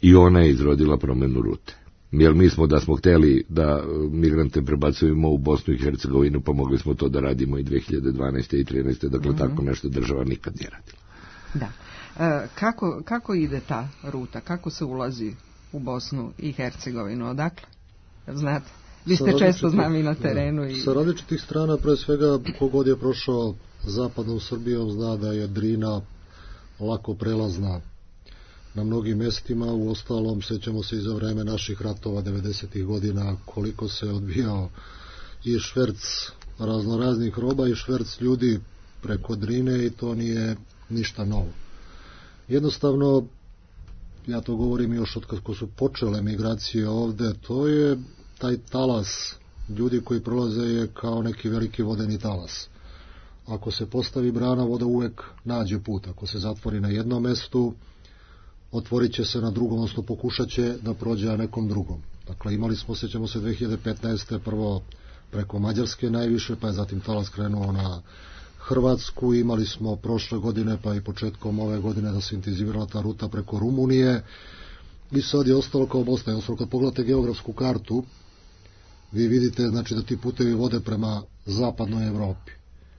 i ona je izrodila promjenu rute. Jer mi smo da smo htjeli da migrante prebacujemo u Bosnu i Hercegovinu, pa mogli smo to da radimo i dve hiljade dvanaeste i trinaeste. Dakle, mm-hmm. tako nešto država nikad nije radila. Da. E, kako, kako ide ta ruta? Kako se ulazi u Bosnu i Hercegovinu? Odakle? Znate, vi ste često z nami na terenu. I... Sa različitih strana, pre svega, kogod je prošao zapadnom Srbijom, zna da je Drina lako prelazna na mnogim mjestima. U ostalom, sećamo se i za vreme naših ratova devedesetih godina koliko se odbijao i šverc raznoraznih roba i šverc ljudi preko Drine i to nije ništa novo. Jednostavno, ja to govorim još od kako su počele migracije ovde, to je taj talas ljudi koji prolaze je kao neki veliki vodeni talas. Ako se postavi brana, voda uvek nađe put. Ako se zatvori na jednom mestu, otvorit će se na drugom, odnosno pokušat će da prođe na nekom drugom. Dakle, imali smo, sjećamo se, dve hiljade petnaeste. prvo preko Mađarske najviše, pa je zatim talas krenuo na Hrvatsku, imali smo prošle godine, pa i početkom ove godine da se intenzivirala ta ruta preko Rumunije i sad je ostalo kao Bosna. Jednostavno, kad pogledate geografsku kartu, vi vidite znači da ti putevi vode prema zapadnoj Evropi.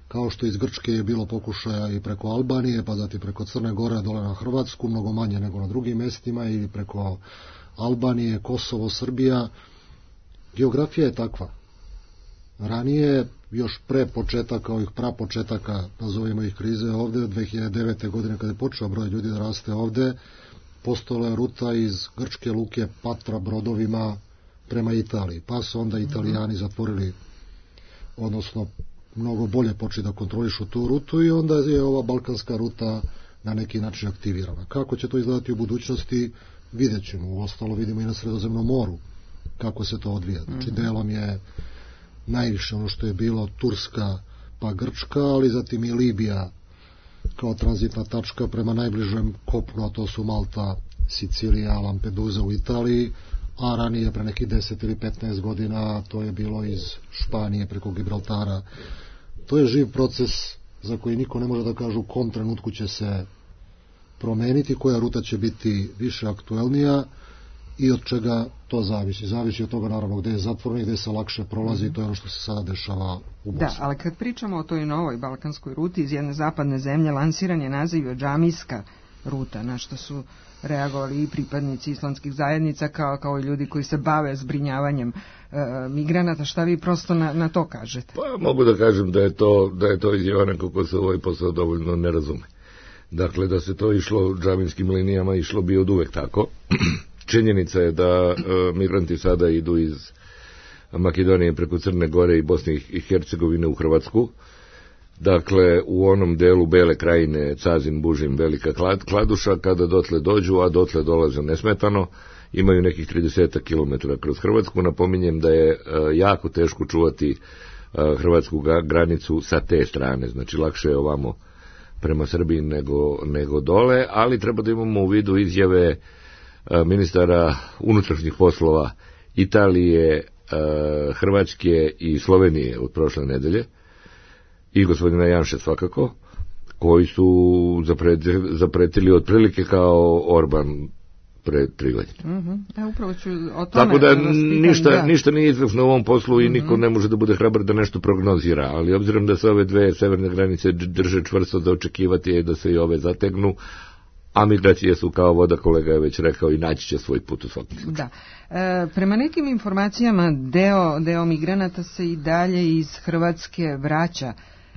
Kao što iz Grčke je bilo pokušaja i preko Albanije, pa zatim preko Crne Gore dole na Hrvatsku, mnogo manje nego na drugim mestima, ili preko Albanije, Kosovo, Srbija. Geografija je takva. Ranije, još pre početaka, ovih prapočetaka, nazovimo ih krize ovde, dve hiljade devete. godine kada je počeo broj ljudi da raste ovde, postojala je ruta iz grčke luke Patra brodovima prema Italiji, pa su onda Italijani zatvorili, odnosno mnogo bolje počeli da kontrolišu tu rutu i onda je ova balkanska ruta na neki način aktivirana. Kako će to izgledati u budućnosti, vidjet ćemo. U ostalo vidimo i na Sredozemnom moru kako se to odvija. Znači, delom je najviše ono što je bilo Turska pa Grčka, ali zatim i Libija kao tranzitna tačka prema najbližem kopnu, a to su Malta, Sicilija, Lampedusa u Italiji, a ranije pre nekih deset ili petnaest godina to je bilo iz Španije preko Gibraltara. To je živ proces za koji niko ne može da kaže u kom trenutku će se promeniti, koja ruta će biti više aktuelnija i od čega to zavisi. Zavisi od toga naravno gde je zatvoreno i gde se lakše prolazi, mm-hmm. to je ono što se sada dešava u Bosni. Da, ali kad pričamo o toj novoj balkanskoj ruti iz jedne zapadne zemlje, lansiran je naziv džamijska ruta, na što su reagovali i pripadnici islamskih zajednica kao, kao i ljudi koji se bave zbrinjavanjem e, migranata. Šta vi prosto na, na to kažete? Pa mogu da kažem da je to, da je to izjava neko ko se ovaj posao dovoljno ne razume. Dakle, da se to išlo džamijskim linijama, išlo bi od uvek tako. Činjenica je da e, migranti sada idu iz Makedonije preko Crne Gore i Bosne i Hercegovine u Hrvatsku. Dakle, u onom delu Bele krajine, Cazin, Bužim, Velika Kladuša, kada dotle dođu, a dotle dolaze nesmetano, imaju nekih trideset kilometara kroz Hrvatsku. Napominjem da je e, jako teško čuvati e, hrvatsku granicu sa te strane, znači lakše je ovamo prema Srbiji nego, nego dole, ali treba da imamo u vidu izjave e, ministara unutrašnjih poslova Italije, e, Hrvatske i Slovenije od prošle nedelje, i gospodina Janše svakako, koji su zapretili, zapretili otprilike kao Orban, pre tri godine. Mm-hmm. E, upravo ću o tome Tako da ništa, da. ništa nije izvršno u ovom poslu i niko mm-hmm. ne može da bude hrabar da nešto prognozira, ali obzirom da se ove dve severne granice drže čvrsto, za očekivati je da se i ove zategnu, a migracije su kao voda, kolega je već rekao, i naći će svoj put u svakom slučaju. Da. E, prema nekim informacijama deo, deo migranata se i dalje iz Hrvatske vraća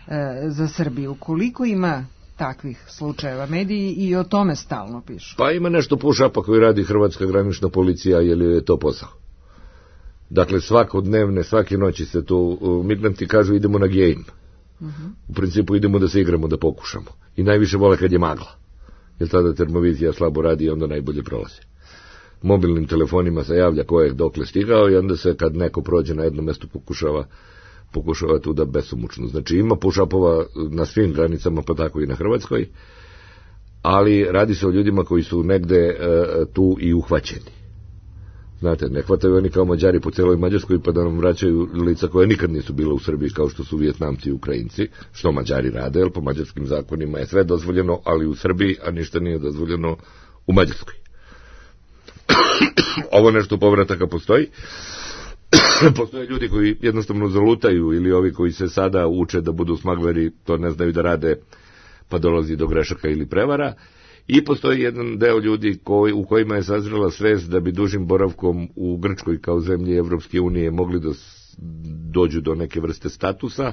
e, za Srbiju. Koliko ima takvih slučajeva? Mediji i o tome stalno pišu. Pa ima nešto push-upa koji radi Hrvatska granična policija, jer je to posao. Dakle, svakodnevne, svake noći se tu migranti kažu idemo na game. Uh-huh. U principu idemo da se igramo, da pokušamo. I najviše vole kad je magla. Jer tada termovizija slabo radi i onda najbolje prolazi. Mobilnim telefonima se javlja ko je dokle stigao i onda se kad neko prođe na jedno mesto pokušava pokušava tu da besomučno. Znači ima push-upova na svim granicama, pa tako i na Hrvatskoj, ali radi se o ljudima koji su negde e, tu i uhvaćeni. Znate, ne hvataju oni kao Mađari po celoj Mađarskoj pa da nam vraćaju lica koje nikad nisu bila u Srbiji, kao što su Vijetnamci i Ukrajinci, što Mađari rade, jer po mađarskim zakonima je sve dozvoljeno, ali u Srbiji, a ništa nije dozvoljeno u Mađarskoj. Ovo nešto povrataka postoji. Postoje ljudi koji jednostavno zalutaju ili ovi koji se sada uče da budu smagleri, to ne znaju da rade, pa dolazi do grešaka ili prevara. I postoji jedan deo ljudi koji, u kojima je sazrela svest da bi dužim boravkom u Grčkoj kao zemlji Evropske unije mogli da dođu do neke vrste statusa,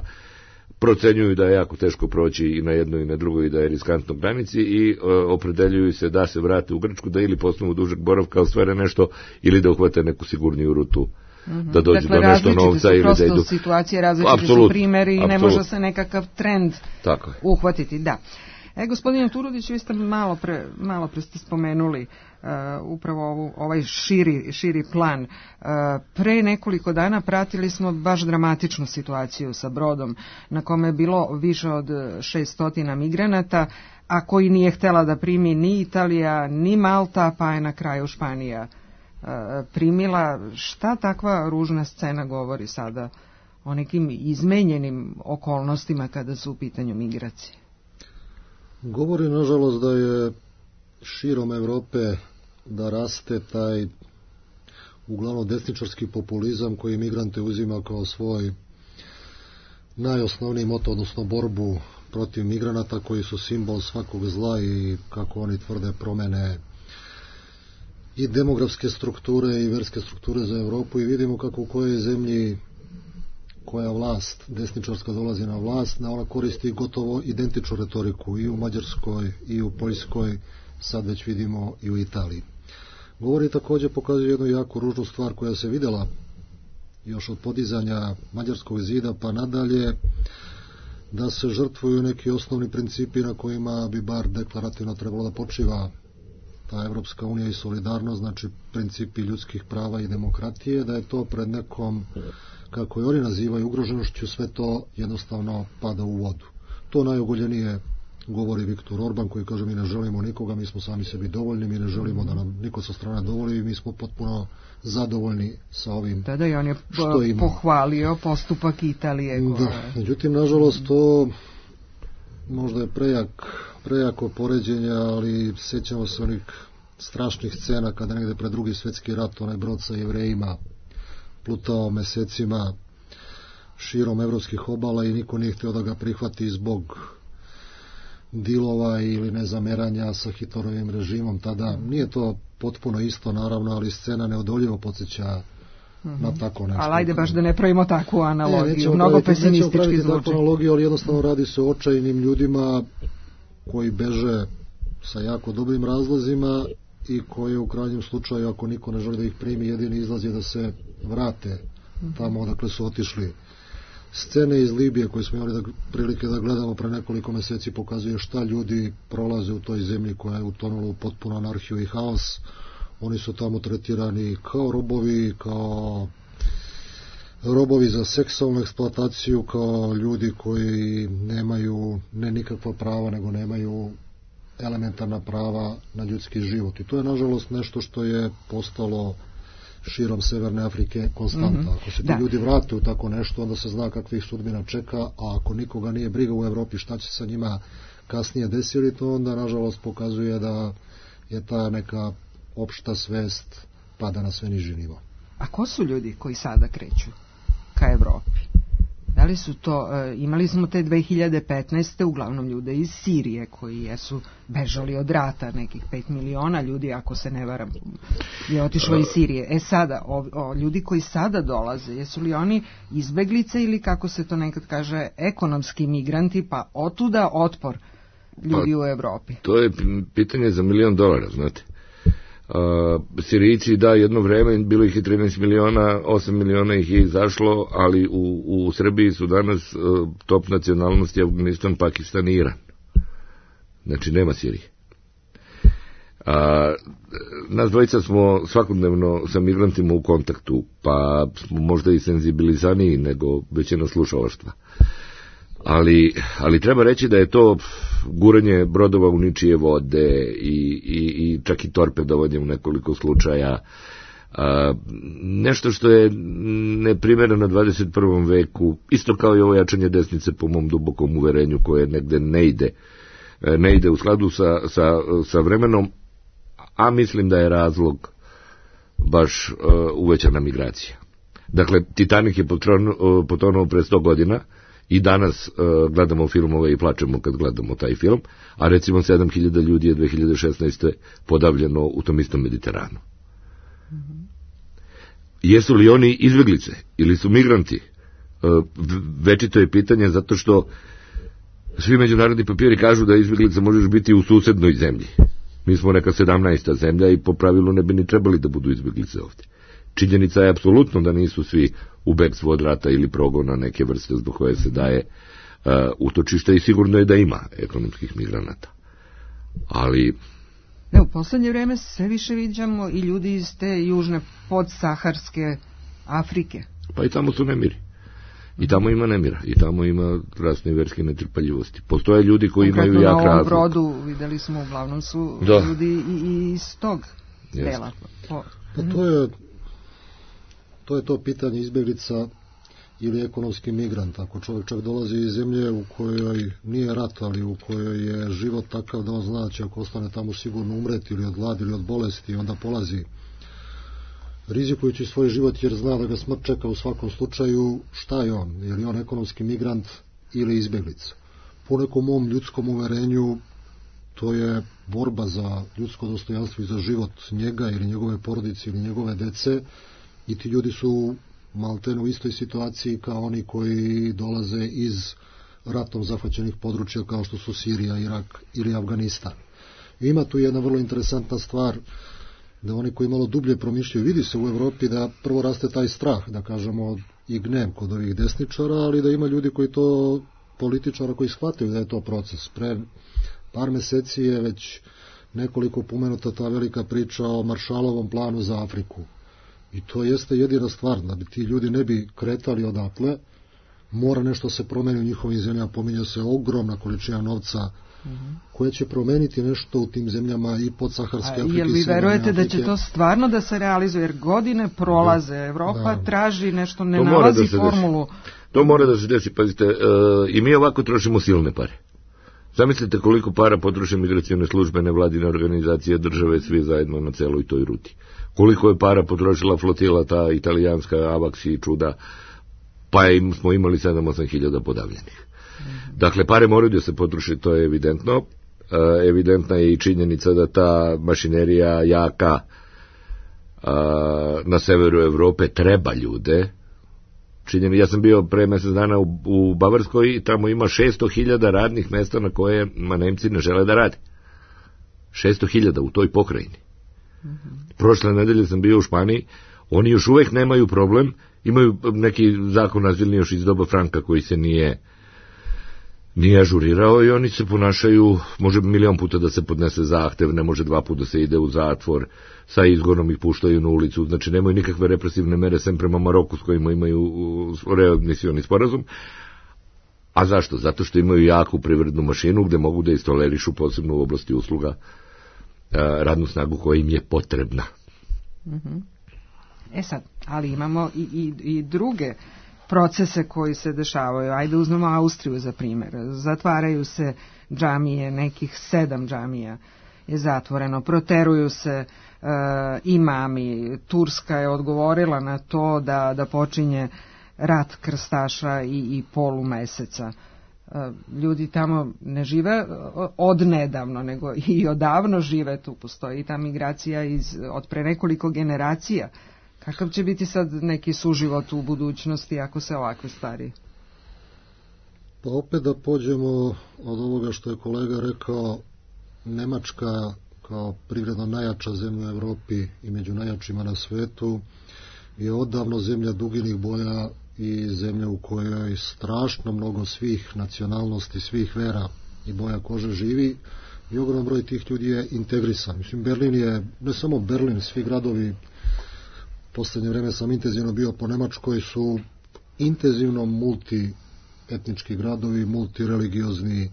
procenjuju da je jako teško proći i na jednoj i na drugoj i da je riskantno granici i e, opredeljuju se da se vrate u Grčku, da ili posle dužeg boravka ostvare nešto ili da uhvate neku sigurniju rutu. Mm-hmm. Da dođu dakle, do nešto novca ili da idu. Situacije, različite Absolut, su primjeri i ne može se nekakav trend Tako je. uhvatiti. Da. E, gospodine Turudić, vi ste malo pre, malo pre ste spomenuli uh, upravo ovu, ovaj širi, širi plan. Uh, pre nekoliko dana pratili smo baš dramatičnu situaciju sa brodom na kome je bilo više od šeststotina migranata, a koji nije htjela da primi ni Italija, ni Malta, pa je na kraju Španija uh, primila. Šta takva ružna scena govori sada o nekim izmenjenim okolnostima kada su u pitanju migracije? Govori, nažalost, da je širom Evrope da raste taj uglavnom desničarski populizam koji migrante uzima kao svoj najosnovniji moto, odnosno borbu protiv migranata koji su simbol svakog zla i, kako oni tvrde, promene i demografske strukture i verske strukture za Evropu i vidimo kako u kojoj zemlji koja vlast, desničarska dolazi na vlast, da ona koristi gotovo identičnu retoriku i u Mađarskoj i u Poljskoj, sad već vidimo i u Italiji. Govori također, pokazuje jednu jako ružnu stvar koja se videla još od podizanja Mađarskog zida pa nadalje, da se žrtvuju neki osnovni principi na kojima bi bar deklarativno trebalo da počiva ta Evropska unija i solidarnost, znači principi ljudskih prava i demokratije, da je to pred nekom, kako je oni nazivaju, ugroženošću, sve to jednostavno pada u vodu. To najogoljenije govori Viktor Orban, koji kaže mi ne želimo nikoga, mi smo sami sebi dovoljni, mi ne želimo da nam niko sa strane dovoli i mi smo potpuno zadovoljni sa ovim da, da, i on je što ima. Pohvalio postupak Italije. Da, međutim, nažalost, to možda je prejak, prejako poređenje, ali sjećamo se onih strašnih scena kada negde pred drugi svjetski rat onaj brod sa Jevrejima plutao mesecima širom evropskih obala i niko nije htio da ga prihvati zbog dilova ili nezameranja sa Hitlerovim režimom tada. Nije to potpuno isto, naravno, ali scena neodoljivo podsjeća mm-hmm. na tako nešto. Ali ajde baš da ne pravimo takvu analogiju, ne, mnogo praviti, pesimistički zvuči. Takvu analogiju, ali jednostavno radi se o očajnim ljudima koji beže sa jako dobrim razlozima i koji u krajnjem slučaju, ako niko ne želi da ih primi, jedini izlaz je da se vrate tamo odakle su otišli. Scene iz Libije koje smo imali da, prilike da gledamo pre nekoliko meseci pokazuje šta ljudi prolaze u toj zemlji koja je utonula u potpuno anarhiju i haos. Oni su tamo tretirani kao robovi, kao robovi za seksualnu eksploataciju, kao ljudi koji nemaju ne nikakva prava, nego nemaju elementarna prava na ljudski život. I to je nažalost nešto što je postalo širom Severne Afrike konstanta. Mm-hmm. Ako se ti da. ljudi vrate u tako nešto, onda se zna kakvih sudbina čeka, a ako nikoga nije briga u Evropi šta će sa njima kasnije desiti, to onda nažalost pokazuje da je ta neka opšta svest pada na sve niži nivo. A ko su ljudi koji sada kreću ka Evropi? Da li su to, e, imali smo te dve hiljade petnaeste uglavnom ljude iz Sirije koji jesu bežali od rata, nekih pet miliona ljudi, ako se ne varam, je otišlo iz Sirije. E sada, o, o, ljudi koji sada dolaze, jesu li oni izbeglice ili, kako se to nekad kaže, ekonomski migranti, pa otuda otpor ljudi pa, u Evropi? To je pitanje za milion dolara, znate. Uh, Sirijci, da, jedno vreme bilo ih je trinaest miliona, osam miliona ih je izašlo, ali u, u Srbiji su danas uh, top nacionalnosti Afganistan, Pakistan i Iran. Znači nema Sirije. Uh, nas dvojica smo svakodnevno sa migrantima u kontaktu, pa smo možda i senzibilizaniji nego većina slušalaštva. Ali, ali treba reći da je to guranje brodova u ničije vode i, i, i čak i torpedovanje u nekoliko slučaja. A, nešto što je neprimereno dvadeset prvom veku, isto kao i ovo jačanje desnice po mom dubokom uverenju koje negde ne ide, ne ide u skladu sa, sa, sa vremenom, a mislim da je razlog baš uh, uvećana migracija. Dakle, Titanik je potonuo, potonuo pre sto godina, i danas uh, gledamo filmove i plačemo kad gledamo taj film, a recimo sedam hiljada ljudi je dve hiljade šesnaeste. podavljeno u tom istom Mediteranu. Mm-hmm. Jesu li oni izbeglice ili su migranti? Uh, večito je pitanje, zato što svi međunarodni papiri kažu da izbeglica možeš biti u susednoj zemlji. Mi smo neka sedamnaesta zemlja i po pravilu ne bi ni trebali da budu izbeglice ovdje. Činjenica je apsolutno da nisu svi u bekstvu od rata ili progona neke vrste zbog koje se daje uh, utočište, i sigurno je da ima ekonomskih migranata. Ali... Ne, u poslednje vreme sve više viđamo i ljudi iz te južne podsaharske Afrike. Pa i tamo su nemiri. I tamo ima nemira. I tamo ima rasne i verske netrpeljivosti. Postoje ljudi koji konkretno imaju jak razlog. Na ovom brodu videli smo, uglavnom su da. ljudi i iz tog Jeste. dela. Po... Pa to je To je to pitanje izbeglica ili ekonomski migrant. Ako čovjek čak dolazi iz zemlje u kojoj nije rat, ali u kojoj je život takav da on zna da će, ako ostane tamo, sigurno umreti ili od gladi ili od bolesti, onda polazi rizikujući svoj život jer zna da ga smrt čeka u svakom slučaju. Šta je on? Je li on ekonomski migrant ili izbeglica? Po nekom mom ljudskom uverenju to je borba za ljudsko dostojanstvo i za život njega ili njegove porodice ili njegove dece. I ti ljudi su maltene u istoj situaciji kao oni koji dolaze iz ratom zahvaćenih područja kao što su Sirija, Irak ili Afganistan. I ima tu jedna vrlo interesantna stvar, da oni koji malo dublje promišljaju, vidi se u Evropi da prvo raste taj strah, da kažemo i gnev kod ovih desničara, ali da ima ljudi koji to, političara koji shvataju da je to proces. Pre par meseci je već nekoliko pomenuta ta velika priča o Maršalovom planu za Afriku. I to jeste jedina stvar, da bi ti ljudi ne bi kretali odatle, mora nešto se promeni u njihovim zemljama, pominja se ogromna količina novca mm-hmm. koja će promeniti nešto u tim zemljama i podsaharske Afrike. Jel vi verujete da će to stvarno da se realizuje, jer godine prolaze, Evropa da. traži nešto, ne nalazi da formulu. Desi. To mora da se desi, pazite, uh, i mi ovako trošimo silne pare. Zamislite koliko para potroše migracione službe, nevladine organizacije, države, svi zajedno na celoj toj ruti. Koliko je para potrošila flotila, ta italijanska, Avax i čuda, pa im, smo imali sedam osam hiljada podavljenih. Mm-hmm. Dakle, pare moraju da se potroše, to je evidentno. E, evidentna je i činjenica da ta mašinerija jaka a, na severu Evrope treba ljude. Činjeni, ja sam bio pre mesec dana u, u Bavarskoj i tamo ima šesto hiljada radnih mesta na koje Nemci ne žele da rade. šesto hiljada u toj pokrajini. Mm-hmm. Prošle nedelje sam bio u Španiji, oni još uvek nemaju problem, imaju neki zakon azilni još iz doba Franka koji se nije nije ažurirao i oni se ponašaju, može milion puta da se podnese zahtev, ne može dva puta da se ide u zatvor, sa izgonom ih puštaju na ulicu, znači nemaju nikakve represivne mere sem prema Maroku s kojima imaju readmisioni sporazum. A zašto? Zato što imaju jaku privrednu mašinu gde mogu da istolerišu posebno u oblasti usluga radnu snagu koja im je potrebna. Mm-hmm. E sad, ali imamo i, i, i druge procese koji se dešavaju. Ajde uzmemo Austriju za primjer. Zatvaraju se džamije, nekih sedam džamija je zatvoreno, proteruju se imami. Turska je odgovorila na to da, da počinje rat krstaša i, i polumeseca. Ljudi tamo ne žive odnedavno, nego i odavno žive tu. Postoji ta migracija iz, od pre nekoliko generacija. Kakav će biti sad neki suživot u budućnosti ako se ovakve stvari? Pa opet da pođemo od ovoga što je kolega rekao, Nemačka kao privredno najjača zemlja u Evropi i među najjačima na svetu je odavno zemlja duginih boja i zemlja u kojoj strašno mnogo svih nacionalnosti, svih vera i boja kože živi i ogroman broj tih ljudi je integrisan. Mislim, Berlin je, ne samo Berlin, svi gradovi, poslednje vreme sam intenzivno bio po Nemačkoj, su intenzivno multietnički gradovi, multireligiozni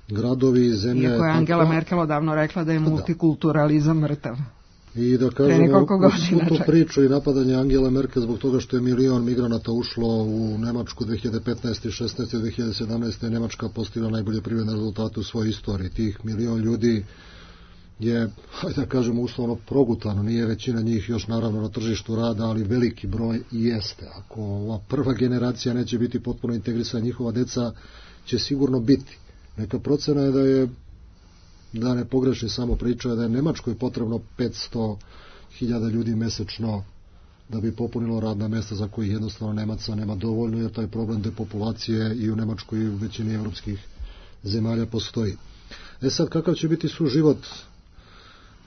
gradovi, zemlje... Iako je Angela to... Merkel odavno rekla da je multikulturalizam mrtav. I da kažemo, u tu priču i napadanje Angela Merkel zbog toga što je milion migranata ušlo u Nemačku dve hiljade petnaeste, šesnaeste, dve hiljade sedamnaeste. Nemačka postigla najbolje privredne rezultate u svojoj istoriji. Tih milion ljudi je, hajde da kažemo, uslovno progutano. Nije većina njih još naravno na tržištu rada, ali veliki broj i jeste. Ako ova prva generacija neće biti potpuno integrisana, njihova deca će sigurno biti. Neka procena je da je, da ne pogrešni samo priča, da je Nemačkoj potrebno petsto hiljada ljudi mesečno da bi popunilo radna mesta za kojih jednostavno Nemaca nema dovoljno, jer taj problem depopulacije i u Nemačkoj i u većini evropskih zemalja postoji. E sad, kakav će biti suživot?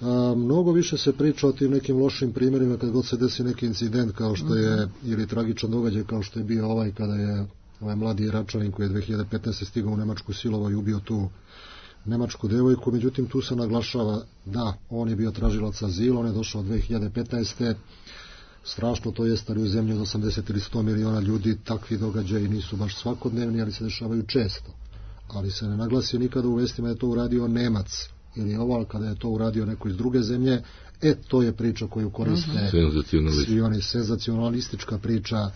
A, mnogo više se priča o tim nekim lošim primjerima kad god se desi neki incident kao što je, ili tragičan događaj kao što je bio ovaj kada je ovaj mladi Iračanin koji je dve hiljade petnaeste. stigao u Nemačku silovao i ubio tu nemačku devojku, međutim tu se naglašava da on je bio tražilac azila, on je došao dve hiljade petnaeste. Strašno to jest, ali u zemlji od osamdeset ili sto miliona ljudi takvi događaji nisu baš svakodnevni, ali se dešavaju često. Ali se ne naglasi nikada u vestima da je to uradio Nemac ili oval, kada je to uradio neko iz druge zemlje. E, to je priča koju koriste svi oni, senzacionalistička priča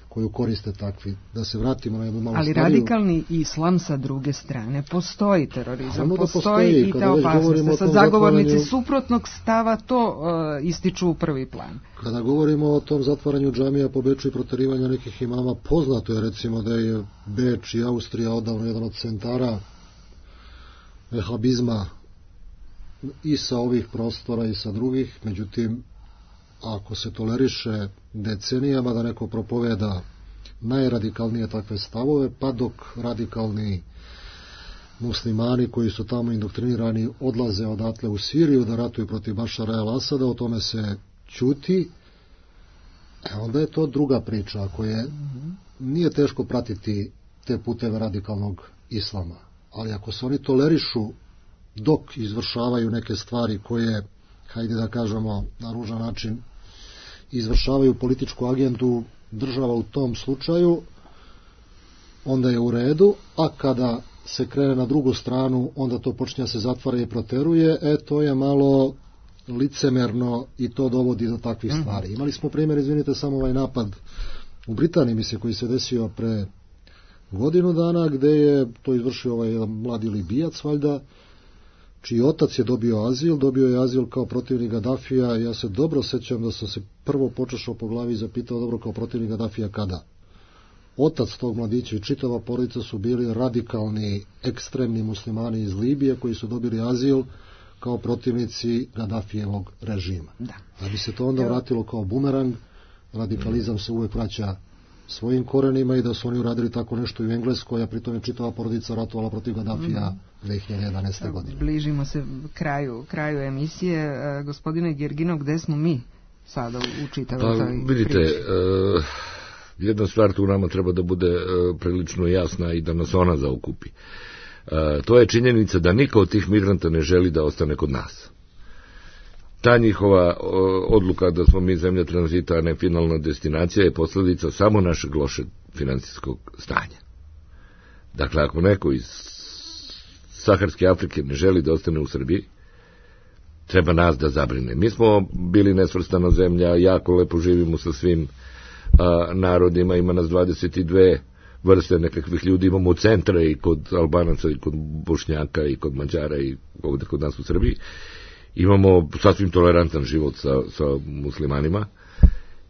koju koriste takvi. Da se vratimo na jednu malu ali stariju. Radikalni islam sa druge strane, postoji terorizam, da postoji, postoji i ta opasnost. Sad zagovornici zatvaranju... suprotnog stava to uh, ističu u prvi plan. Kada govorimo o tom zatvaranju džamija po Beču i proterivanja nekih imama, poznato je recimo da je Beč i Austrija odavno jedan od centara vehabizma i sa ovih prostora i sa drugih, međutim ako se toleriše decenijama da neko propoveda najradikalnije takve stavove, pa dok radikalni muslimani koji su tamo indoktrinirani odlaze odatle u Siriju da ratuju protiv Bašara el-Asada, o tome se ćuti, e onda je to druga priča. Ako je, nije teško pratiti te puteve radikalnog islama, ali ako se oni tolerišu dok izvršavaju neke stvari koje, hajde da kažemo na ružan način, izvršavaju političku agendu država u tom slučaju, onda je u redu, a kada se krene na drugu stranu, onda to počinje se zatvara i proteruje, e to je malo licemerno i to dovodi do takvih stvari. Imali smo primjer, izvinite, samo ovaj napad u Britaniji, mislim, koji se desio pre godinu dana, gde je to izvršio ovaj jedan mladi Libijac, valjda, čiji otac je dobio azil, dobio je azil kao protivnik Gadafija. Ja se dobro sećam da sam se prvo počešao po glavi i zapitao, dobro, kao protivnik Gadafija kada? Otac tog mladića i čitava porodica su bili radikalni, ekstremni muslimani iz Libije koji su dobili azil kao protivnici Gadafijevog režima. Da. Da bi se to onda vratilo kao bumerang, radikalizam se uvek vraća svojim korenima i da su oni uradili tako nešto i u Engleskoj, a pritom je čitava porodica ratovala protiv Gadafija dve hiljade jedanaeste. godine. Bližimo se kraju, kraju emisije. E, gospodine Gerginov, gde smo mi sada u čitavoj pa, vidite, uh, jedna stvar tu nama treba da bude uh, prilično jasna i da nas ona zaokupi. Uh, to je činjenica da niko od tih migranta ne želi da ostane kod nas. Ta njihova odluka da smo mi zemlja tranzita, a ne finalna destinacija, je posljedica samo našeg lošeg financijskog stanja. Dakle, ako neko iz Saharske Afrike ne želi da ostane u Srbiji, treba nas da zabrine. Mi smo bili nesvrstana zemlja, jako lepo živimo sa svim a, narodima, ima nas dvadeset dve vrste nekakvih ljudi, imamo centre i kod Albanaca i kod Bošnjaka i kod Mađara i ovdje kod nas u Srbiji. imamo sasvim tolerantan život sa, sa muslimanima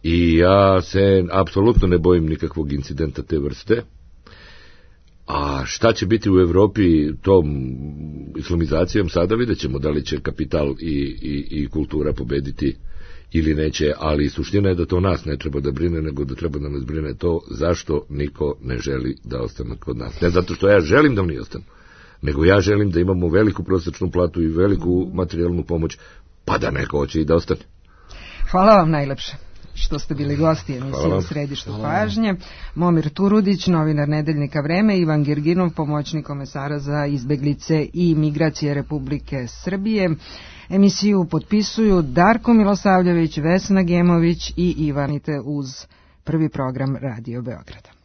i ja se apsolutno ne bojim nikakvog incidenta te vrste. A šta će biti u Evropi tom islamizacijom, sada vidjet ćemo da li će kapital i, i, i kultura pobediti ili neće, ali suština je da to nas ne treba da brine, nego da treba da nas brine to zašto niko ne želi da ostane kod nas. Ne zato što ja želim da oni ostanu, nego ja želim da imamo veliku prosječnu platu i veliku materijalnu pomoć, pa da neko hoće i da ostane. Hvala vam najlepše što ste bili gosti emisije U središtu pažnje. Momir Turudić, novinar Nedeljnika Vreme, Ivan Girginov, pomoćnik komesara za izbeglice i migracije Republike Srbije. Emisiju potpisuju Darko Milosavljević, Vesna Gemović i Ivanite uz Prvi program Radio Beograda.